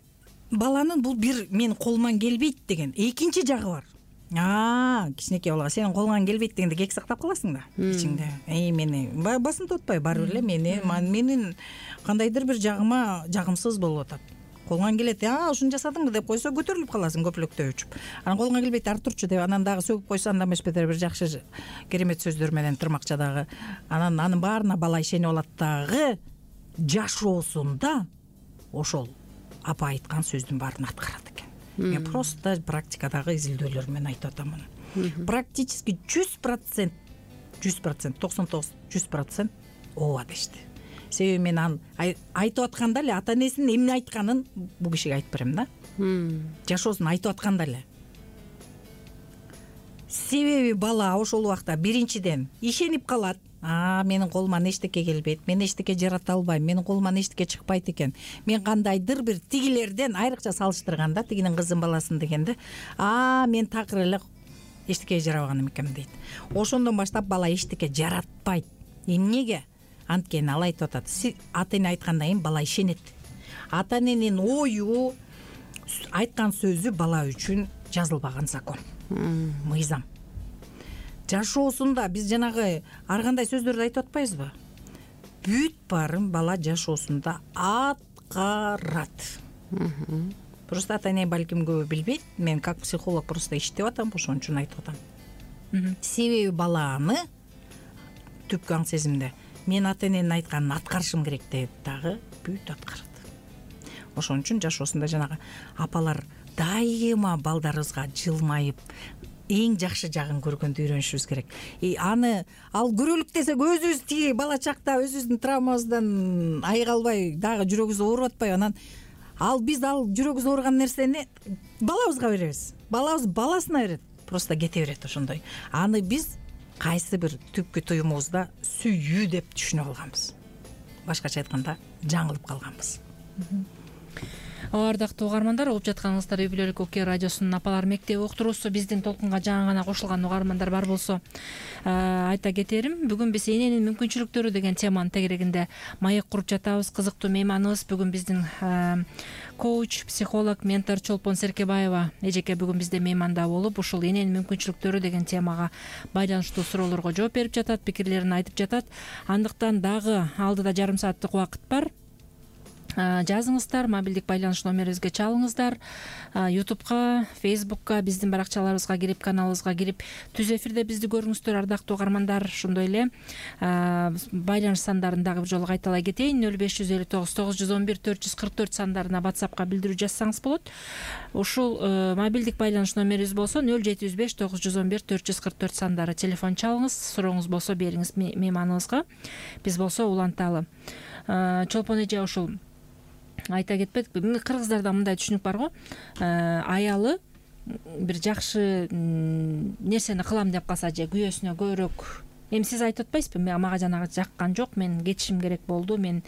баланын бул бир менин колуман келбейт деген экинчи жагы бар. Кичинекей балага сенин колуңан келбейт дегенде кек сактап каласың да ичиңде. Мени басынтып атпайбы, баары бир эле менин кандайдыр бир жагыма жагымсыз болуп атат. Колуңан келет, ушуну жасадыңбы деп койсо көтөрүлүп каласың көпүлөктөй учуп. Анан колуңан келбейт, ары турчу деп анан дагы сөгүп койсо андан эмес бетер бир жакшы керемет сөздөр менен тырмакчадагы. Анан анын баарына бала ишенип алат дагы, жашоосунда ошол апа айткан сөздүн баарын аткарат экен. Мен просто практикадагы изилдөөлөр менен айтып атам муну. Практически 100%, 99-100% ооба дешти. Себеби мен айтып атканда эле ата энесинин эмне айтканын бул кишиге айтып берем да. Жашоосун айтып атканда эле. Себеби бала ошол убакта биринчиден ишенип калат. Менин колуман эчтеке келбейт, мен эчтеке жарата албайм, менин колуман эчтеке чыкпайт экен. Мен кандайдыр бир тигилерден айрыкча салыштырганда, тигинин кызын баласын дегенде, мен такыр эле эчтеке жарабаган экенмин дейт. Ошондон баштап бала эчтеке жаратпайт. Эмнеге? Анткени ал айтып атат, ата эне айткандан кийин бала ишенет. Ата эненин ою, айткан сөзү бала үчүн жазылбаган закон, мыйзам. Жашоосунда биз жанагы ар кандай сөздөрдү айтып атпайбызбы? Бүт баарын бала жашоосунда аткарат. Просто ата эне балким көбү билбейт. Мен как психолог просто иштеп атам, ошон үчүн айтып атам. Себеби баланы түпкү аң сезимде мен ата эненин айтканын аткарышым керек деп дагы бүт аткарат. Ошон үчүн жашоосунда жанагы апалар дайыма балдарыбызга жылмайып эң жакшы жагын көргөндү үйрөнүшүбүз керек. Ал көрөлүк десек өзүбүз тиги бала чакта өзүбүздүн травмабыздан айыга албай дагы жүрөгүбүз ооруп атпайбы? Анан биз жүрөгүбүз ооруган нерсени балабызга беребиз. Балабыз баласына берет. Просто кете берет ошондой. Аны биз кайсы бир түпкү туюмубузда сүйүү деп түшүнүп алганбыз. Башкача айтканда жаңылып калганбыз. Ардактуу угармандар, угуп жатканыңыздар Үй бүлөлүк Окуя радиосунун Апалар мектеби уктуруусу. Биздин толкунга жаңы гана кошулган угармандар бар болсо айта кетерим. Бүгүн биз эненин мүмкүнчүлүктөрү деген теманын тегерегинде маек куруп жатабыз. Кызыктуу мейманыбыз бүгүн биздин коуч, психолог, ментор Чолпон Серкебаева эжеке бүгүн бизде мейманда болуп, ушул эненин мүмкүнчүлүктөрү деген темага байланыштуу суроолорго жооп берип жатат, пикирлерин айтып жатат. Андыктан дагы алдыда жарым сааттык убакыт бар. Жазыңыздар, мобилдик байланыш номерибизге чалыңыздар. Ютубка, Фейсбукка, биздин баракчаларыбызга кирип, каналыбызга кирип, түз эфирде бизди көрүңүздөр, ардактуу угармандар. Ошондой эле байланыш сандарын дагы бир жолу кайталай кетейин. 0559 911 444 сандарына WhatsAppка билдирүү жазсаңыз болот. Ушул мобилдик байланыш номерибиз болсо 0705 911 444 сандары. Телефон чалыңыз, сурооңуз болсо бериңиз мейманыбызга. Биз болсо уланталы. Чолпон эже, ушул айта кетпедик, кыргыздарда мындай түшүнүк бар го, аялы бир жакшы нерсени кылам деп калса же күйөөсүнө көбүрөөк, эми сиз айтып атпайсызбы, мага жанагы жаккан жок, мен кетишим керек болду, мен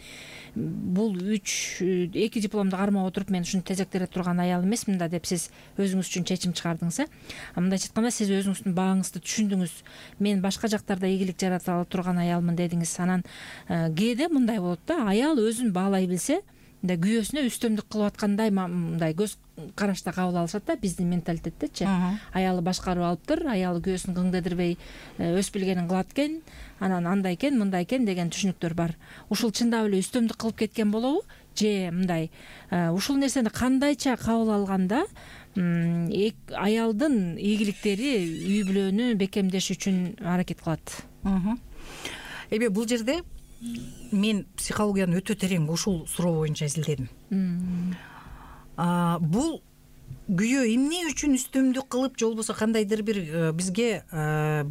бул 2 дипломду кармап отуруп мен ушуну тезектере турган аял эмесмин да деп сиз өзүңүз үчүн чечим чыгардыңыз. Мындайча айтканда, сиз өзүңүздүн багыңызды түшүндүңүз, мен башка жактарда ийгилик жарата турган аялмын дедиңиз. Анан кээде мындай болот да, аял өзүн баалай билсе, мындай күйөөсүнө үстөмдүк кылып аткандай мындай көз карашта кабыл алышат да, биздин менталитеттечи. Аялы башкарып алыптыр, аялы күйөөсүн кыңдедирбей өз билгенин кылат экен, анан андай экен, мындай экен деген түшүнүктөр бар. Ушул чындап эле үстөмдүк кылып кеткен болобу, же мындай ушул нерсени кандайча кабыл алганда аялдын ийгиликтери үй бүлөнү бекемдеш үчүн аракет кылат? Эми бул жерде мен психологияны өтө терең ушул суроо боюнча изилдедим. Бул күйөө эмне үчүн үстөмдүк кылып, же болбосо кандайдыр бир бизге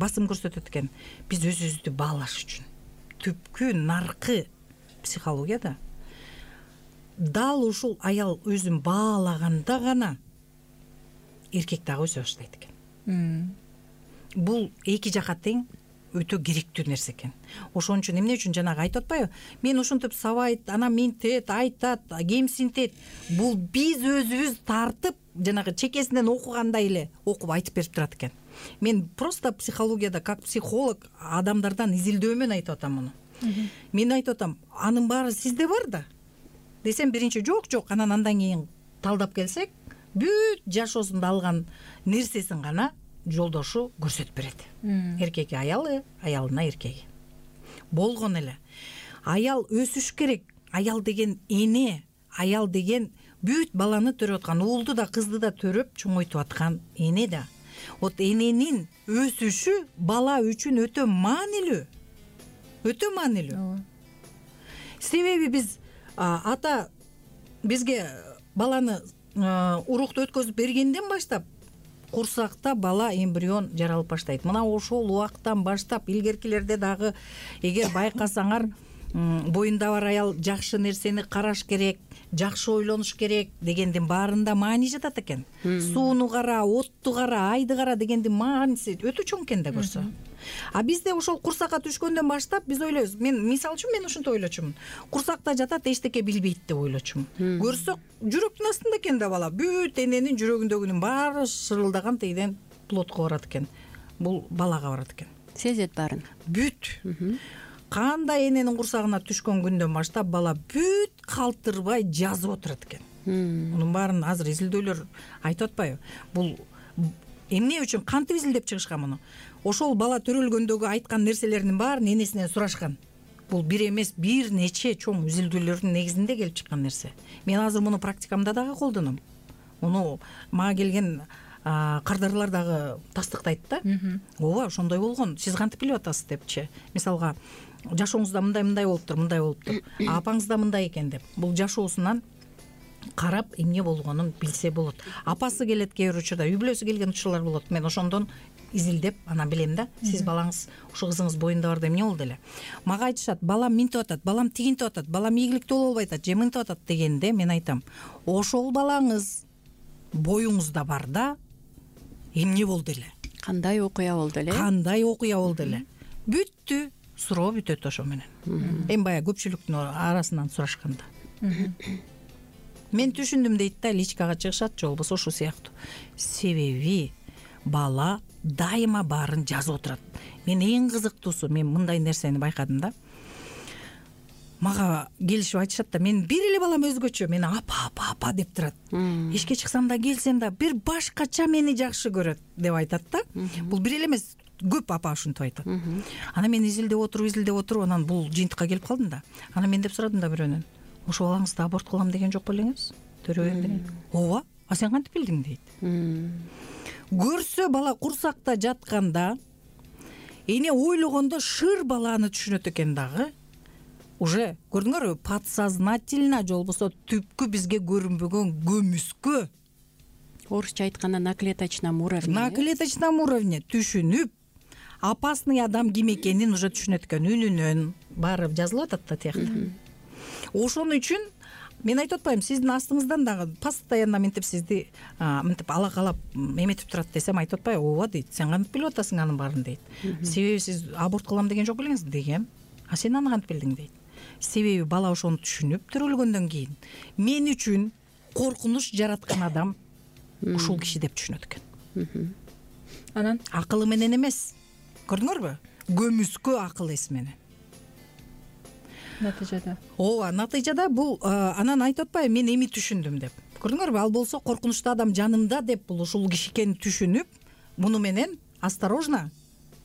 басым көрсөтөт экен? Биз өзүбүздү баалаш үчүн. Түпкү наркы психологияда дал ушул аял өзүн баалаганда гана эркек дагы өсө баштайт экен. Бул эки жака тең өтө керектүү нерсе экен. Ошон үчүн эмне үчүн жанагы айтып атпайбы? Мен ушинтип сабайт, анан минтет, айтат, кемсинтет. Бул биз өзүбүз тартып, жанагы чекесинен окугандай эле окуп айтып берип турат экен. Мен просто психологияда как психолог адамдардан изилдөөмөн айтып атам муну. Мен айтып атам, анын баары сизде бар да десем, биринчи жок, анан андан кийин талдап келсек, бүт жашоосунда алган нерсесин гана жолдошу көрсөтүп берет. Эркеги аялы, аялына эркеги. Болгон эле. Аял өсүш керек. Аял деген эне, аял деген бүт баланы төрөп аткан, уулду да кызды да төрөп чоңойтуп аткан эне да. Вот эненин өсүшү бала үчүн өтө маанилүү. Өтө маанилүү. Себеби биз ата бизге баланы урукту өткөзүп бергенден баштап курсакта бала эмбрион жаралып баштайт. Мына ошол убактан баштап илгеркилерде дагы эгер байкасаңар, боюнда бар аял жакшы нерсени караш керек, жакшы ойлонуш керек дегендин баарында маани жатат экен. Сууну кара, отту кара, айды кара дегендин мааниси өтө чоң экен да көрсө. А бизде ошол курсакка түшкөндөн баштап биз ойлойбуз. Мен мисалы үчүн мен ушинтип ойлочумун. Курсакта жатат, эчтеке билбейт деп ойлочумун. Көрсөк, жүрөктүн астында экен да бала. Бүт эненин жүрөгүндөгүнүн баары шырылдаган тийден плотко барат экен. Бул балага барат экен. Сезет баарын. Бүт. Кандай эненин курсагына түшкөн күндөн баштап бала бүт калтырбай жазып отурат экен. Мунун баарын азыр изилдөөлөр айтып атпайбы? Бул эмне үчүн кантип изилдеп чыгышкан муну? Ошол бала төрөлгөндөгү айткан нерселеринин баарын энесинен сурашкан. Бул бир эмес, бир нече чоң изилдөөлөрдүн негизинде келип чыккан нерсе. Мен азыр муну практикамда дагы колдоном. Муну мага келген кардарлар дагы тастыктайт да. Ооба, ошондой болгон. Сиз кантип билип атасыз депчи. Мисалга, жашооңузда мындай болуптур. Апаңызда мындай экен деп. Бул жашоосунан карап эмне болгонун билсе болот. Апасы келет кээ бир учурда, үй бүлөсү келген учурлар болот. Мен ошондон изилдеп анан билем да. Сиз балаңыз, ушу кызыңыз боюнда барда эмне болду эле? Мага айтышат, балам минтип атат, балам тигинтип атат, балам ийгиликтүү боло албай атат, же мынтип атат дегенде мен айтам, ошол балаңыз боюңузда бар да, эмне болду эле? Кандай окуя болду эле? Кандай окуя болду эле? Бүттү. Суроо бүтөт ошо менен. Эми баягы көпчүлүктүн арасынан сурашканда. мен түшүндүм дейт да, личкага чыгышат же болбосо ушул сыяктуу. Себеби бала дайыма баарын жазып отурат. Мен эң кызыктуусу, мен мындай нерсени байкадым да. Мага келишип айтышат да, мен бир эле балам өзгөчө, мени апа деп турат. Эшикке чыксам да, келсем да бир башкача мени жакшы көрөт деп айтат да. Бул бир эле эмес, көп апа ушинтип айтат. Анан мен изилдеп отуруп, анан бул жыйынтыкка келип калдым да. Анан мен деп сурадым да бирөөнөн. Ошо балаңызды аборт кылам деген жок белеңиз? Төрөгөндөн. Ооба. А сен кантип билдиң дейт. Көрсө бала курсакта жатканда эне ойлогондо шыр баланы түшүнөт экен дагы. Уже көрдүңөрбү, подсознательно же болбосо түпкү бизге көрүнбөгөн көмүскө, орусча айтканда на клеточном уровне түшүнүп, опасный адам ким экенин уже түшүнөт экен, үнүнөн баары жазылып атат да тиякта. Ошон үчүн мен айтып атпаймынбы, сиздин астыңыздан дагы постоянно мынтип сизди мынтип алакалап эметип турат десем, айтып атпайбы? Ооба дейт. Сен кантип билип атасың анын баарын дейт. Себеби сиз аборт кылам деген жок белеңиз дегем. А сен аны кантип билдиң дейт. Себеби бала ошону түшүнүп төрөлгөндөн кийин мен үчүн коркунуч жараткан адам ушул киши деп түшүнөт экен. Анан акылы менен эмес. Көрдүңөрбү? Көмүскө акыл эс менен. Натыйжада. Ооба, натыйжада бул анан айтып атпайбы, мен эми түшүндүм деп. Көрдүңөрбү? Ал болсо коркунучтуу адам жанымда деп бул ушул киши экенин түшүнүп, муну менен осторожно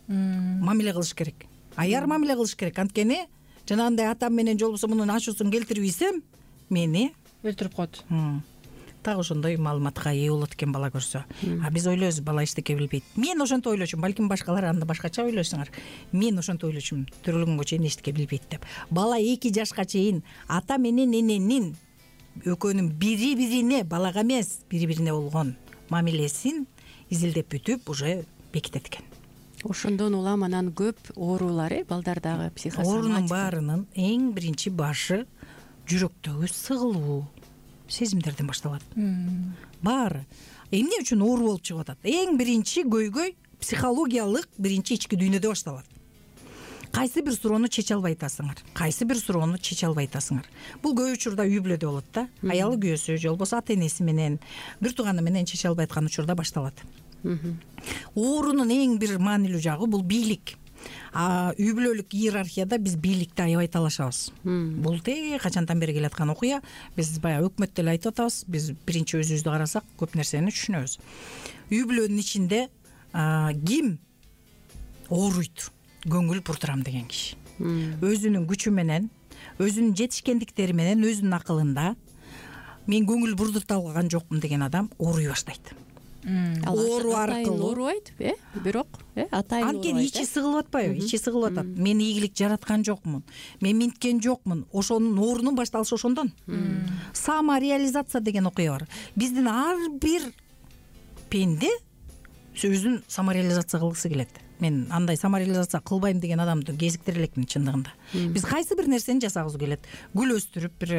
мамиле кылыш керек. Аяр мамиле кылыш керек. Анткени жанагындай атам менен же болбосо мунун ачуусун келтирип ийсем, мени өлтүрүп коет. Так ошондой маалыматка ээ болот экен бала көрсө. А биз ойлойбуз, бала эчтеке билбейт. Мен ошентип ойлочумун, балким башкалар анда башкача ойлойсуңар. Мен ошентип ойлочумун, төрөлгөнгө чейин эчтеке билбейт деп. Бала 2 жашка чейин ата менен эненин экөөнүн бири-бирине, балага эмес, бири-бирине болгон мамилесин изилдеп бүтүп уже бекитет экен. Ошондон улам анан көп оорулар, балдардагы психосоматика. Оорунун баарынын эң биринчи башы жүрөктөгү сыгылуу сезимдерден башталат. Баары эмне үчүн оору болуп чыгып атат? Эң биринчи көйгөй психологиялык биринчи ички дүйнөдө башталат. Кайсы бир суроону чече албай атасыңар. Бул көп учурда үй бүлөдө болот да. Аялы күйөөсү же болбосо ата энеси менен, бир тууганы менен чече албай аткан учурда башталат. Оорунун эң бир маанилүү жагы бул бийлик. Үй бүлөлүк иерархияда биз бийликти аябай талашабыз. Бул качандан бери келаткан окуя. Биз баягы өкмөттө эле айтып атабыз. Биз биринчи өзүбүздү карасак көп нерсени түшүнөбүз. Үй бүлөнүн ичинде ким ооруйт? Көңүл буртурам деген киши. Өзүнүн күчү менен, өзүнүн жетишкендиктери менен, өзүнүн акылында мен көңүл бурдурта алган жокмун деген адам ооруй баштайт. Оору аркылуу оорубайт, бирок атайын анткени ичи сыгылып атпайбы? Ичи сыгылып атат. Мен ийгилик жараткан жокмун, мен минткен жокмун. Ошонун оорунун башталышы ошондон. Самореализация деген окуя бар. Биздин ар бир пенде өзүн самореализация кылгысы келет. Мен андай самореализация кылбайм деген адамды кезиктире элекмин чындыгында. Биз кайсы бир нерсени жасагыбыз келет. Гүл өстүрүп, бир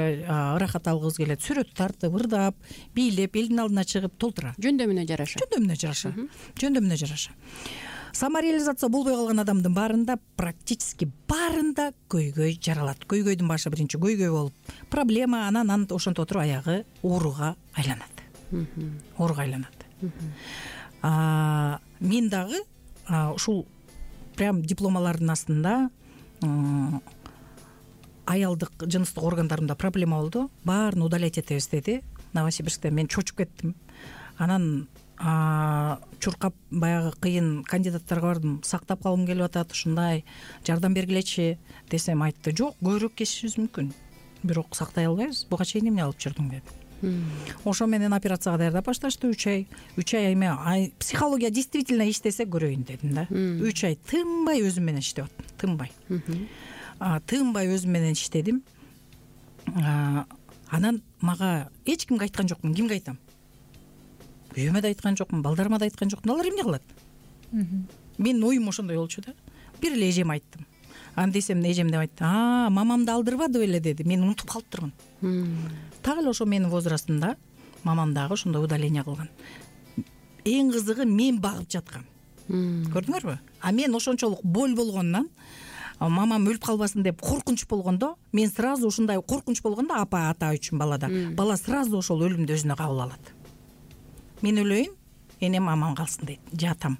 ырахат алгыбыз келет. Сүрөт тартып, ырдап, бийлеп, элдин алдына чыгып толтура. Жөндөмүнө жараша. Самореализация болбой калган адамдын баарында, практически баарында көйгөй жаралат. Көйгөйдүн башы биринчи көйгөй болуп, проблема, анан ошентип отуруп аягы ооруга айланат. Мен дагы ушул прям дипломалардын астында аялдык жыныстык органдарымда проблема болду. Баарын удалять этебиз деди Новосибирскте. Мен чочуп кеттим. Анан чуркап баягы кыйын кандидаттарга бардым. Сактап калгым келип атат, ушундай жардам бергилечи десем, айтты, жок, көбүрөөк кесишибиз мүмкүн, бирок сактай албайбыз. Буга чейин эмне алып жүрдүң деди. Ошо менен операцияга даярдап башташты. 3 ай эме психология действительно иштесе көрөйүн дедим да. 3 ай тынбай өзүм менен иштеп аттым. Тынбай өзүм менен иштедим. Анан мага эч кимге айткан жокмун. Кимге айтам? Үйөмө да айткан жокмун, балдарыма да айткан жокмун. Алар эмне кылат? Менин оюм ошондой болчу да. Бир эле эжеме айттым. Аны десем, эжем деп айтты. Мамамды алдырбады беле деди. Мен унутуп калыптырмын. Так эле ошо менин возрастымда мамам дагы ошондой удаление кылган. Эң кызыгы мен багып жаткам. Көрдүңөрбү? Мен ошончолук боль болгондон мамам өлүп калбасын деп коркунуч болгондо, мен сразу ушундай коркунуч болгондо апа ата үчүн балада бала сразу ошол өлүмдү өзүнө кабыл алат. Мен өлөйүн, энем аман калсын дейт, жатам.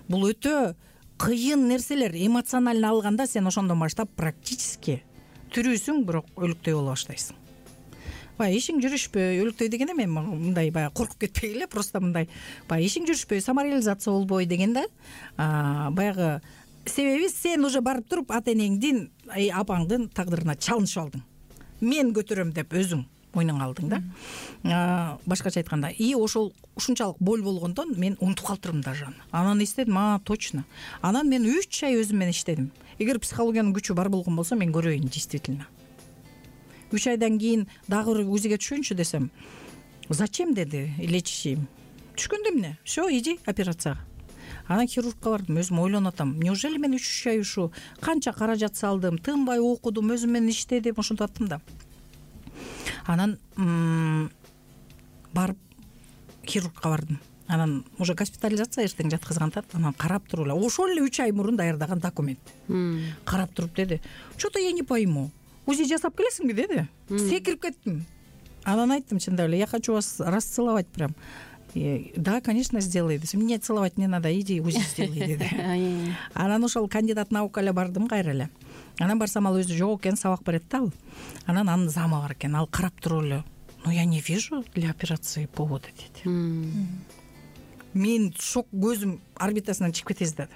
Бул өтө кыйын нерселер. Эмоционально алганда сен ошондон баштап практически тирүүсүң, бирок өлүктөй боло баштайсың. Баягы ишиң жүрүшпөй, өлүктөй дегенде мен мындай баягы коркуп кетпей эле, просто мындай баягы ишиң жүрүшпөй, самореализация болбой дегенде, баягы себеби сен уже барып туруп ата энеңдин, апаңдын тагдырына чалынышып алдың. Мен көтөрөм деп өзүң мойнуңа алдың да. Башкача айтканда, ошол ушунчалык боль болгондон мен унутуп калыптырмын даже аны. Анан эстедим, точно. Анан мен 3 ай өзүм менен иштедим. Эгер психологиянын күчү бар болгон болсо мен көрөйүн действительно. 3 айдан кийин дагы бир УЗИге түшөйүнчү десем, зачем деди, лечащий. Түшкөндө эмне? Всё, иди операцияга. Анан хирургка бардым, өзүм ойлонуп атам. Неужели мен 3 ай ушу канча каражат салдым, тынбай окудум, өзүм менен иштедим, ошентип аттым да. Анан барып хирургка бардым. Анан уже госпитализация эртең жаткызгантат. Анан карап туруп эле, ошол эле 3 ай мурун даярдаган документ. Карап туруп деди, что-то я не пойму. УЗИ жасап келесиңби деди. Секирип кеттим. Анан айттым, чындап эле, я хочу вас расцеловать прям. Да, конечно, сделай десем. Мне целовать не надо, иди УЗИ сделай деди. Анан ошол кандидат наука эле бардым кайра эле. Анан барсам ал өзү жок экен, сабак берет да ал. Анан анын замы бар экен, ал карап туруп эле, но я не вижу для операции повода деди. Мен шок, көзүм орбитасынан чыгып кетесиз деди.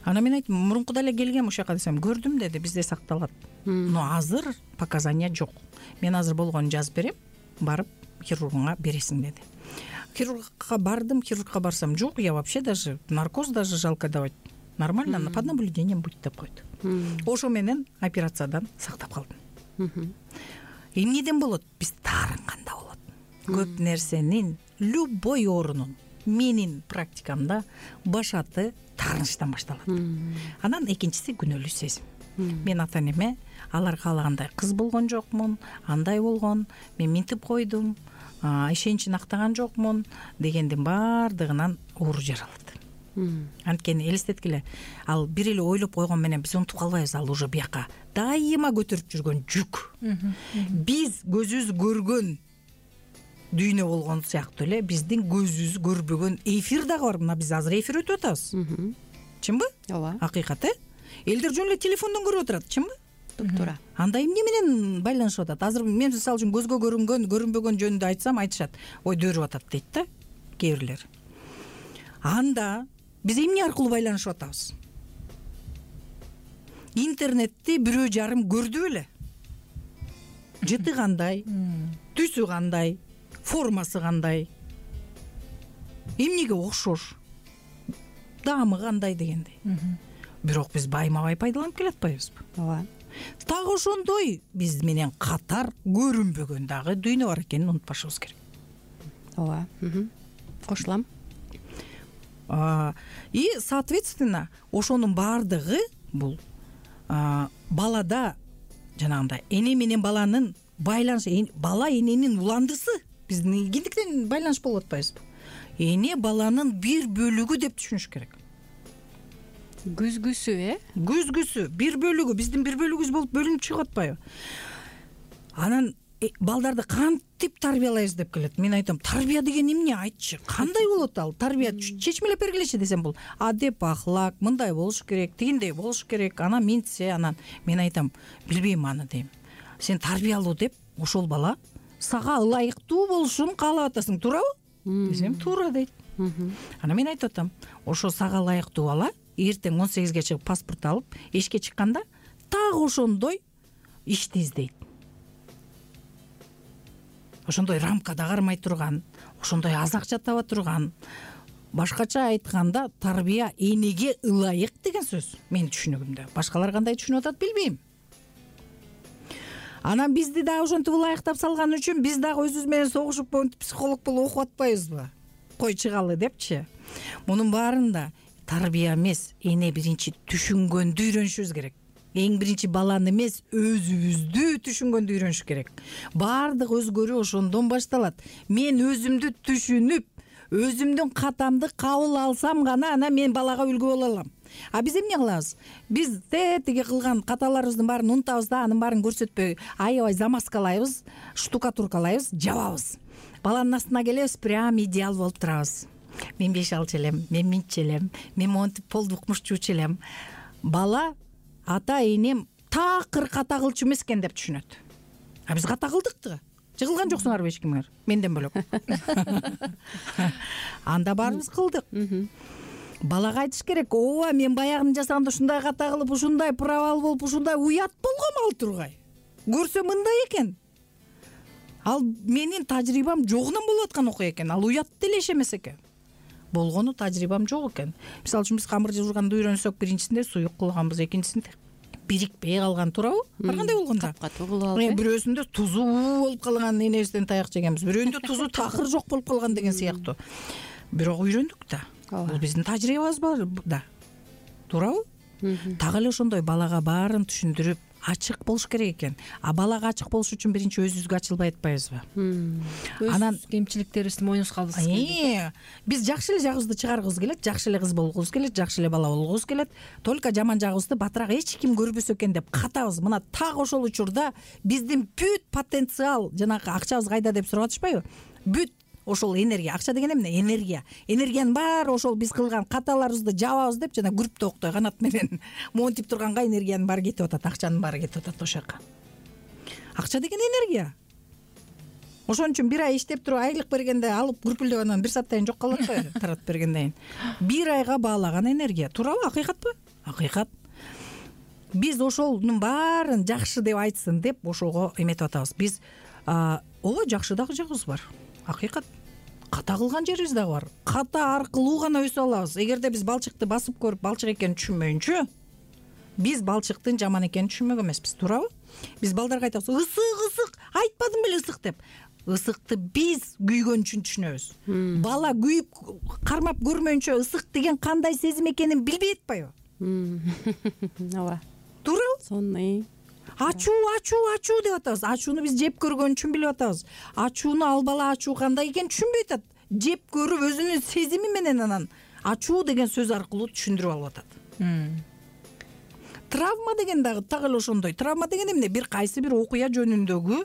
Анан мен айттым, мурункуда эле келгем ошол жака десем, көрдүм деди, бизде сакталат. Но азыр показания жок. Мен азыр болгонун жазып берем, барып хирургуңа бересиң деди. Хирургка бардым, хирургка барсам, жок, я вообще даже наркоз даже жалко давать. Нормально, под наблюдением будь деп койду. Ошо менен операциядан сактап калдым. Эмнеден болот? Биз таарынганда болот. Көп нерсенин, любой оорунун менин практикамда башаты таарынычтан башталат. Анан экинчиси күнөөлүү сезим. Мен ата энеме алар каалагандай кыз болгон жокмун, андай болгон, мен минтип койдум, ишеничин актаган жокмун дегендин баардыгынан оору жаралат. Анткени элестеткиле, ал бир эле ойлоп койгон менен биз унутуп калбайбыз, ал уже бияка дайыма көтөрүп жүргөн жүк. Биз көзүбүз көргөн дүйнө болгон сыяктуу эле биздин көзүбүз көрбөгөн эфир дагы бар. Мына биз азыр эфир өтүп атабыз. Чынбы? Ооба. Акыйкат, элдер жөн эле телефондон көрүп отурат, чынбы? Туура. Анда эмне менен байланышып атат? Азыр мен мисалы үчүн көзгө көрүнгөн, көрүнбөгөн жөнүндө айтсам, айтышат, ой дөөрүп атат дейт да кээ бирлер. Анда биз эмне аркылуу байланышып атабыз? Интернетти 1,5 көрдү беле? Жыты кандай, түсү кандай, формасы кандай, эмнеге окшош, даамы кандай дегендей. Бирок биз байма-бай пайдаланып келатпайбызбы? Ооба. Так ошондой биз менен катар көрүнбөгөн дагы дүйнө бар экенин унутпашыбыз керек. Ооба. Кошулам. И соответственно ошонун баардыгы бул балада жанагындай эне менен баланын байланышы, бала эненин уландысы. Биздин киндиктен байланыш болуп атпайбызбы? Эне баланын бир бөлүгү деп түшүнүш керек. Күзгүсү, Күзгүсү, бир бөлүгү, биздин бир бөлүгүбүз болуп бөлүнүп чыгып атпайбы? Анан балдарды кантип тарбиялайбыз деп келет. Мен айтам, тарбия деген эмне, айтчы? Кандай болот ал? Тарбия чечмелеп бергилечи десем, бул адеп, ахлак, мындай болуш керек, тигиндей болуш керек, анан минтсе, анан мен айтам, билбейм аны дейм. Сен тарбиялуу деп, ошол бала сага ылайыктуу болушун каалап атасың, туурабы? Десем, туура дейт. Анан мен айтып атам, ошо сага ылайыктуу бала эртең 18-ге чыгып паспорт алып, эшикке чыкканда так ошондой ишти издейт. Ошондой рамкада кармай турган, ошондой аз акча таба турган. Башкача айтканда, тарбия энеге ылайык деген сөз менин түшүнүгүмдө. Башкалар кандай түшүнүп атат билбейм. Анан бизди дагы ошентип ылайыктап салган үчүн биз дагы өзүбүз менен согушуп психолог болуп окуп атпайбызбы? Кой чыгалы депчи. Мунун баарында тарбия эмес, эне биринчи түшүнгөндү үйрөнүшүбүз керек. Эң биринчи баланы эмес, өзүбүздү түшүнгөндү үйрөнүш керек. Баардык өзгөрүү ошондон башталат. Мен өзүмдү түшүнүп, өзүмдүн катамды кабыл алсам гана анан мен балага үлгү боло алам. А биз эмне кылабыз? Биз тиги кылган каталарыбыздын баарын унутабыз да, анын баарын көрсөтпөй аябай замазкалайбыз, штукатуркалайбыз, жабабыз. Баланын астына келебиз, прям идеал болуп турабыз. Мен 5 алчу элем, мен мынча элем, мен монтип полду укмушчу элем. Бала ата энем такыр ката кылчу эмес экен деп түшүнөт. А биз ката кылдык да. Жыгылган жоксуңарбы эч кимиңер? Менден бөлөк. Анда баарыбыз кылдык. Балага айтыш керек, ооба мен баягыны жасаганда ушундай ката кылып, ушундай провал болуп, ушундай уят болгом ал тургай. Көрсө мындай экен. Ал менин тажрыйбам жогунан болуп аткан окуя экен. Ал уят деле иш эмес экен. Болгону тажрыйбам жок экен. Мисалы үчүн биз камыр жуурганды үйрөнсөк, биринчисинде суюк кылганбыз, экинчисинде бирикпей калган, туурабы? Ар кандай болгондо? Капкатуу кылып алып. Бирөөсүндө тузу болуп калган, энебизден таяк жегенбиз. Бирөөндө тузу такыр жок болуп калган деген сыяктуу. Бирок үйрөндүк да. Бул биздин тажрыйбабыз да. Туурабы? Так эле ошондой балага баарын түшүндүрүп, ачык болуш керек экен. А балага ачык болуш үчүн биринчи өзүбүзгө ачылбай атпайбызбы? Анан кемчиликтерибизди мойнубузга албыз келет. Биз жакшы эле жагыбызды чыгаргыбыз келет, жакшы эле кыз болгубуз келет, жакшы эле бала болгубуз келет. Только жаман жагыбызды батыраак эч ким көрбөсө экен деп катабыз. Мына так ошол учурда биздин бүт потенциал, жанагы акчабыз кайда деп сурап атышпайбы? Бүт ошол энергия, акча деген эмне? Энергия. Энергиянын баары ошол биз кылган каталарыбызды жабабыз деп жана группта октой канат менен монтип турганга энергиянын баары кетип атат, акчанын баары кетип атат ошол жака. Акча деген энергия. Ошон үчүн бир ай иштеп туруп айлык бергенде алып күрпүлдөп анан 1 сааттан кийин жок калып атпайбы? Таратып бергенден кийин. 1 айга баалаган энергия. Туурабы? Акыйкатпы? Акыйкат. Биз ошонун баарын жакшы деп айтсын деп ошого эметип атабыз. Биз ооба жакшы дагы жагыбыз бар. Акыйкат. Ката кылган жерибиз дагы бар. Ката аркылуу гана өсө алабыз. Эгерде биз балчыкты басып көрүп, балчык экенин түшүнмөйүнчө, биз балчыктын жаман экенин түшүнмөгөн эмеспиз, туурабы? Биз балдарга айтабыз, ысык, айтпадым беле ысык деп. Ысыкты биз күйгөн үчүн түшүнөбүз. Бала күйүп, кармап көрмөйүнчө ысык деген кандай сезим экенин билбей атпайбы? Ооба. Туурабы? Сонный. Ачуу деп атабыз. Ачууну биз жеп көргөн үчүн билип атабыз. Ачууну ал бала ачуу кандай экенин түшүнбөй атат. Жеп көрүп өзүнүн сезими менен анан ачуу деген сөз аркылуу түшүндүрүп алып атат. Травма деген дагы так эле ошондой. Травма деген эмне? Бир кайсы бир окуя жөнүндөгү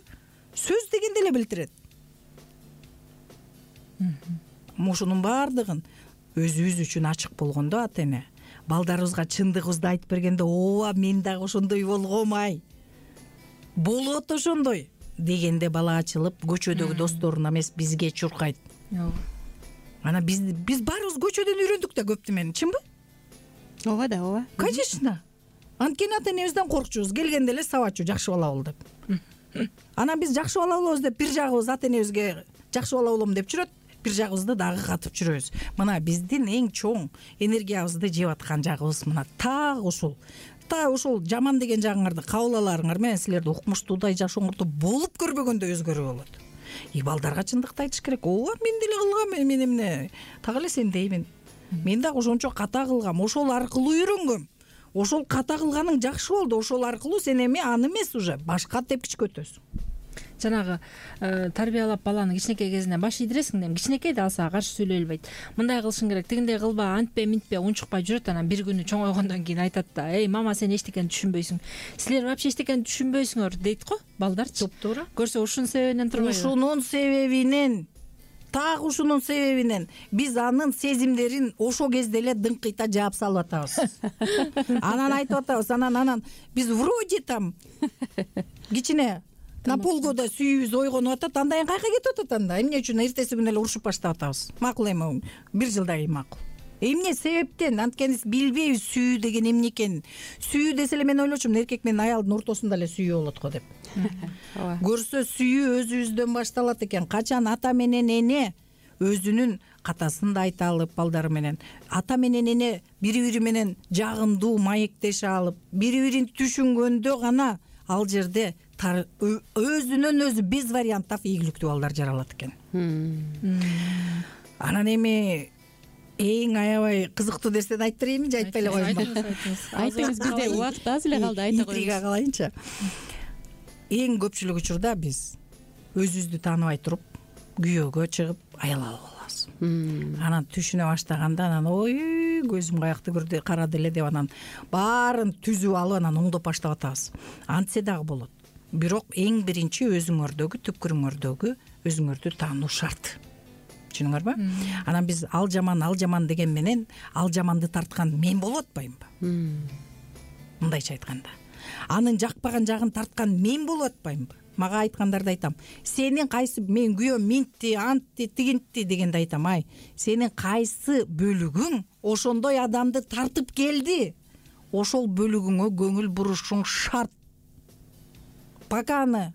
сөз дегенди эле билдирет. Ошонун баардыгын өзүбүз үчүн ачык болгондо ата эне балдарыбызга чындыгыбызды айтып бергенде, ооба мен дагы ошондой болгом ай. Болот ошондой дегенде бала ачылып, көчөдөгү досторуна эмес бизге чуркайт. Анан биз баарыбыз көчөдөн үйрөндүк да көп немени, чынбы? Ооба да, ооба. Конечно. Анткени ата энебизден коркчубуз, келгенде эле сабачу, жакшы бала бол деп. Анан биз жакшы бала болобуз деп бир жагыбыз ата энебизге жакшы бала болом деп жүрөт, бир жагыбызды дагы катып жүрөбүз. Мына биздин эң чоң энергиябызды жеп аткан жагыбыз мына так ушул. Та ошол жаман деген жагыңарды кабыл аларыңар менен силерди укмуштуудай жашооңордо болуп көрбөгөндө өзгөрүү болот. Балдарга чындыкты айтыш керек. Ооба мен деле кылгам, мен эмне так эле сендеймин. Мен дагы ошончо ката кылгам, ошол аркылуу үйрөнгөм. Ошол ката кылганың жакшы болду. Ошол аркылуу сен эми аны эмес уже башка тепкичке өтөсүң. Жанагы тарбиялап баланы кичинекей кезинен баш ийдиресиң да, кичинекей да алса каршы сүйлөй албайт. Мындай кылышың керек, тигиндей кылба, антпе, минтпе, унчукпай жүрөт, анан бир күнү чоңойгондон кийин айтат да: "Эй, мама, сен эчтекени түшүнбөйсүң. Силер вообще эчтекени түшүнбөйсүңөр" дейт го балдарчы. Туура. Көрсө ушунун себебинен турбайбы? Ушунун себебинен, так ушунун себебинен биз анын сезимдерин ошол кезде эле дыңкыйта жаап салып атабыз. Анан айтып атабыз, анан биз вроде там кичине на полгода сүйүүбүз ойгонуп атат, андан кийин кайка кетип атат анда. Эмне үчүн эртеси күнү эле урушуп баштап атабыз? Макул эми, 1 жылдан кийин макул. Эмне себептен? Анткени билбейбиз сүйүү деген эмне экенин. Сүйүү десе эле мен ойлочумун, эркек менен аялдын ортосунда эле сүйүү болот го деп. Көрсө сүйүү өзүбүздөн башталат экен. Качан ата менен эне өзүнүн катасын да айта алып балдары менен, ата менен эне бири-бири менен жагымдуу маектеше алып, бири-бирин түшүнгөндө гана ал жерде өзүнөн өзү без вариантов ийгиликтүү балдар жаралат экен. Анан эми эң аябай кызыктуу нерсени айтып берейинби же айтпай эле коеюнбу? Айтыңыз, бизде убакыт аз эле калды, айта коюңуз. Интрига кылайынчы. Эң көпчүлүк учурда биз өзүбүздү тааныбай туруп күйөөгө чыгып аял алып алабыз. Анан түшүнө баштаганда анан ой көзүм каякты көрдү карады эле деп анан баарын түзүп алып анан оңдоп баштап атабыз. Антсе дагы болот. Бирок эң биринчи өзүңөрдөгү түпкүрүңөрдөгү өзүңөрдү таануу шарт. Түшүнүңөрбү? Анан биз ал жаман деген менен ал жаманды тарткан мен болуп атпаймынбы? Мындайча айтканда. Анын жакпаган жагын тарткан мен болуп атпаймынбы? Мага айткандарды айтам. Сенин кайсы мен күйөөм минтти, антти, тигинтти дегенде айтам. Сенин кайсы бөлүгүң ошондой адамды тартып келди? Ошол бөлүгүңө көңүл бурушуң шарт. Пока аны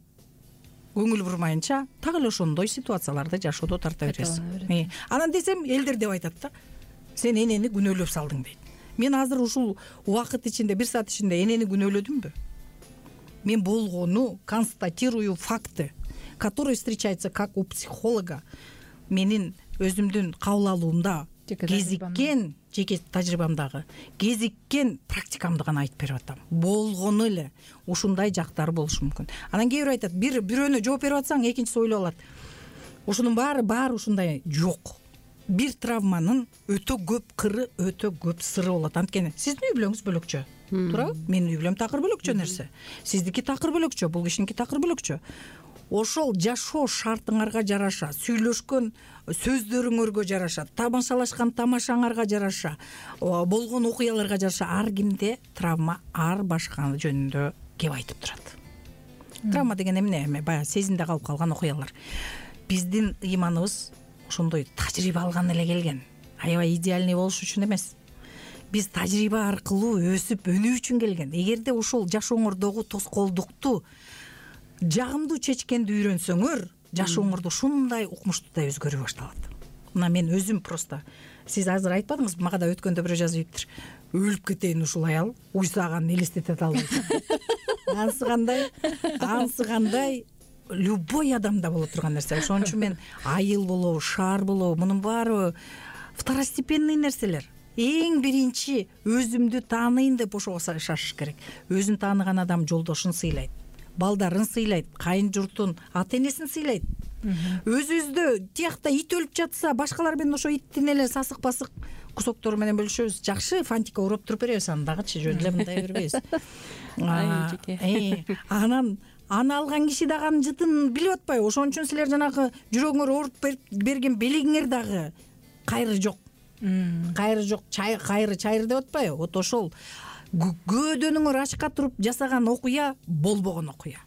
көңүл бурмайынча так эле ошондой ситуацияларды жашоодо тарта бересиз. Анан десем элдер деп айтат да. Сен энени күнөөлөп салдың дейт. Мен азыр ушул убакыт ичинде 1 саат ичинде энени күнөөлөдүмбү? Мен болгону констатирую факты, которые встречаются как у психолога. Менин өзүмдүн кабыл алуумда кезиккен жеке тажрыйбамдагы кезиккен практикамды гана айтып берип атам. Болгону эле ушундай жактары болушу мүмкүн. Анан кээ бир айтат, бирөөнө жооп берип атсаң, экинчиси ойлоп алат. Ушунун баары ушундай жок. Бир травманын өтө көп кыры, өтө көп сыры болот. Анткени сиздин үй бүлөңүз бөлөкчө. Туурабы? Менин үй бүлөм такыр бөлөкчө нерсе. Сиздики такыр бөлөкчө, бул кишиники такыр бөлөкчө. Ошол жашоо шартыңарга жараша, сүйлөшкөн сөздөрүңөргө жараша, тамашалашкан тамашаңарга жараша, болгон окуяларга жараша ар кимде травма ар башка жөнүндө кеп айтып турат. Травма деген эмне? Баягы сезимде калып калган окуялар. Биздин ыйманыбыз ошондой тажрыйба алган эле келген. Аябай идеальный болуш үчүн эмес. Биз тажрыйба аркылуу өсүп өнүү үчүн келген. Эгерде ошол жашооңордогу тоскоолдукту жагымдуу чечкенди үйрөнсөңөр, жашооңорду ушундай укмуштуудай өзгөрүп башталат. Мына мен өзүм просто сиз азыр айтпадыңызбы, мага да өткөндө бирөө жазып ийиптир. Өлүп кетейин ушул аял, уйсаганын элестете албайт. Ансы кандай любой адамда боло турган нерсе. Ошон үчүн мен айыл болобу, шаар болобу, мунун баары второстепенный нерселер. Эң биринчи өзүмдү тааныйын деп ошого шашыш керек. Өзүн тааныган адам жолдошун сыйлайт, балдарын сыйлайт, кайын журтун, ата энесин сыйлайт. Өзүбүздө тиякта ит өлүп жатса, башкалар менен ошо иттин эле сасык-басык кусоктору менен бөлүшөбүз. Жакшы фантика уруп туруп беребиз, аны дагычы жөн эле мындай бербейбиз. Анан аны алган киши дагы анын жытын билип атпайбы? Ошон үчүн силер жанагы жүрөгүңөр ооруп берген белигиңер дагы кайры жок. Кайры жок, кайры чайры деп атпайбы? Вот ошол көөдөнүңөр ачка туруп жасаган окуя болбогон окуя.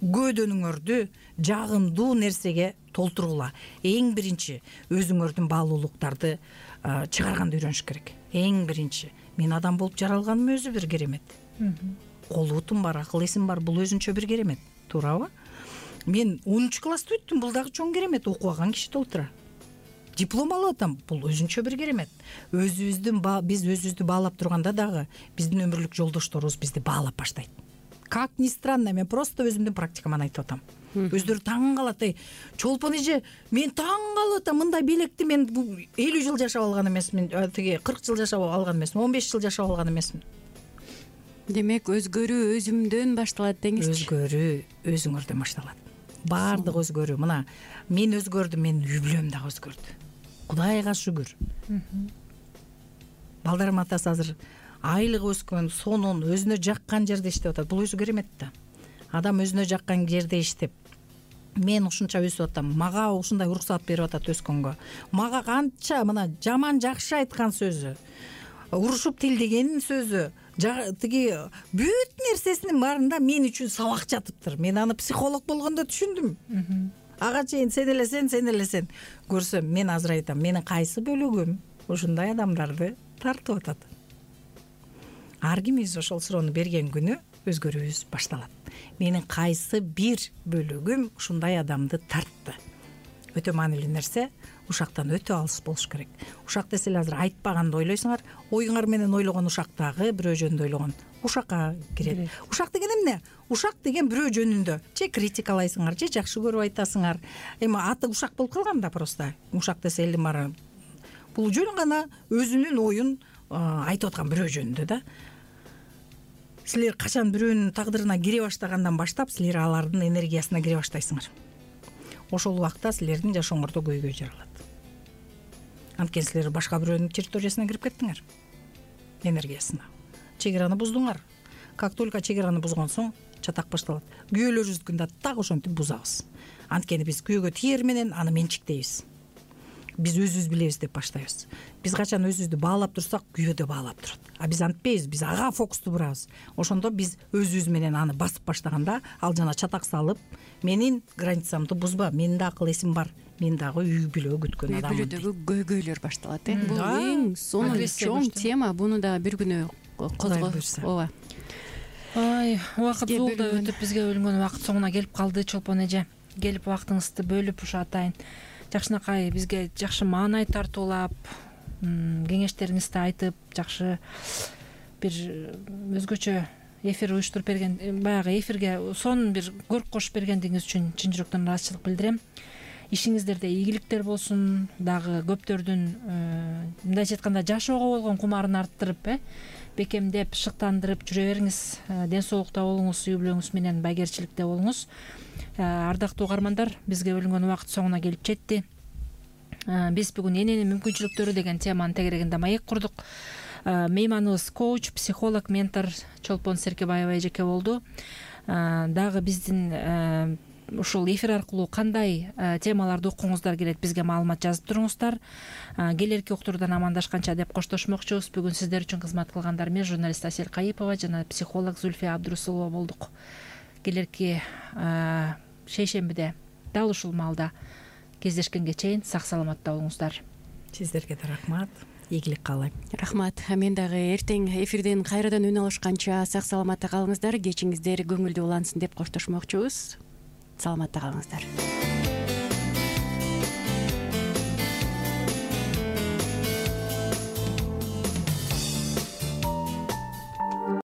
Көөдөнүңөрдү жагымдуу нерсеге толтургула. Эң биринчи өзүңөрдүн баалуулуктарды чыгарганды үйрөнүш керек. Эң биринчи мен адам болуп жаралганым өзү бир керемет. Кол бутум бар, акыл эсим бар, бул өзүнчө бир керемет. Туурабы? Мен 10 класстı бүттүм, бул дагы чоң керемет. Окуган киши толтура. Диплом алып атам, бул өзүнчө бир керемет. Биз өзүбүздү баалап турганда дагы биздин өмүрлүк жолдошторубуз бизди баалап баштайт. Как ни странно, мен просто өзүмдүн практикаман айтып атам. Өздөрү таң калат. Чолпон эже, мен таң калып атам, мындай белекти мен 50 жыл жашап алган эмесмин, 40 жыл жашап алган эмесмин, 15 жыл жашап алган эмесмин. Демек өзгөрүү өзүмдөн башталат деңизчи. Өзгөрүү өзүңөрдөн башталат. Баардык өзгөрүү. Мына мен өзгөрдүм, менин үй бүлөм дагы өзгөрдү. Кудайга шүгүр. Балдарым атасы азыр айлыгы өскөн, сонун, өзүнө жаккан жерде иштеп атат. Бул өзү керемет да. Адам өзүнө жаккан жерде иштеп, мен ушунча өсүп атам, мага ушундай уруксаат берип атат өскөнгө. Мага канча мына жаман жакшы айткан сөзү, урушуп тилдеген сөзү, тиги бүт нерсесинин баарында мен үчүн сабак жатыптыр. Мен аны психолог болгондо түшүндүм. Ага чейин сен элесен көрсөм, мен азыр айтам, менин кайсы бөлүгүм ушундай адамдарды тартып атат. Ар кимибиз ошол суроону берген күнү өзгөрүүбүз башталат. Менин кайсы бир бөлүгүм ушундай адамды тартты. Өтө маанилүү нерсе, ушактан өтө алыс болуш керек. Ушак десе эле азыр айтпаганды ойлойсуңар, оюңар менен ойлогон ушактагы бирөө жөнүндө ойлогон ушакка кирет. Ушак деген эмне? Ушак деген бирөө жөнүндө же критикалайсыңар, же жакшы көрүп айтасыңар. Эми аты ушак болуп калган да просто. Ушак десе элдин баары бул жөн гана өзүнүн оюн айтып аткан бирөө жөнүндө да. Силер качан бирөөнүн тагдырына кире баштагандан баштап, силер алардын энергиясына кире баштайсыңар. Ошол убакта силердин жашооңордо көйгөй жаралат. анткени силер башка бирөөнүн территориясына кирип кеттиңер, энергиясына чек араны буздуңар. Как только чек араны бузгон соң чатак башталат. Күйөөлөрүбүздүкүн да так ошентип бузабыз. Анткени биз күйөөгө тиер менен аны менчиктейбиз. Биз өзүбүз билебиз деп баштайбыз. Биз качан өзүбүздү баалап турсак, күйөө да баалап турат. А биз антпейбиз, биз ага фокусту бурабыз. Ошондо биз өзүбүз менен аны басып баштаганда, ал жана чатак салып, менин границамды бузба, менин да акыл эсим бар, мен дагы үй бүлө күткөн адаммын. Үй бүлөдөгү көйгөйлөр башталат. Бул эң сонун чоң тема. Буну да бир күнү козгойбуз. Ооба. Убакыт зулда өтүп, бизге бөлүнгөн убакыт соңуна келип калды. Чолпон эже, келип убактыңызды бөлүп ушу атайын жакшынакай бизге жакшы маанай тартуулап, кеңештериңизди айтып, жакшы бир өзгөчө эфир уюштуруп берген, баягы эфирге сонун бир көрк кошуп бергендигиңиз үчүн чын жүрөктөн ыраазычылык билдирем. Ишиңиздерде ийгиликтер болсун, дагы көптөрдүн мындайча айтканда жашоого болгон кумарын арттырып, бекемдеп, шыктандырып жүрө бериңиз. Ден соолукта болуңуз, үй бүлөңүз менен байгерчиликте болуңуз. Ардактуу угармандар, бизге бөлүнгөн убакыт соңуна келип жетти. Биз бүгүн эненин мүмкүнчүлүктөрү деген теманын тегерегинде маек курдук. Мейманыбыз коуч, психолог, ментор Чолпон Серкебаева эжеке болду. Дагы биздин ушул эфир аркылуу кандай темаларды уккуңуздар келет, бизге маалымат жазып туруңуздар. Келерки уктуруудан амандашканча деп коштошмокчубуз. Бүгүн сиздер үчүн кызмат кылгандар мен журналист Асель Кайыпова жана психолог Зульфия Абдрусулова болдук. Келерки шейшембиде дал ушул маалда кездешкенге чейин сак саламатта болуңуздар. Сиздерге да рахмат. Ийгилик каалайм. Рахмат. Мен дагы эртең эфирден кайрадан үн алышканча сак саламатта калыңыздар, кечиңиздер көңүлдүү улансын деп коштошмокчубуз. Саламатта калыңыздар.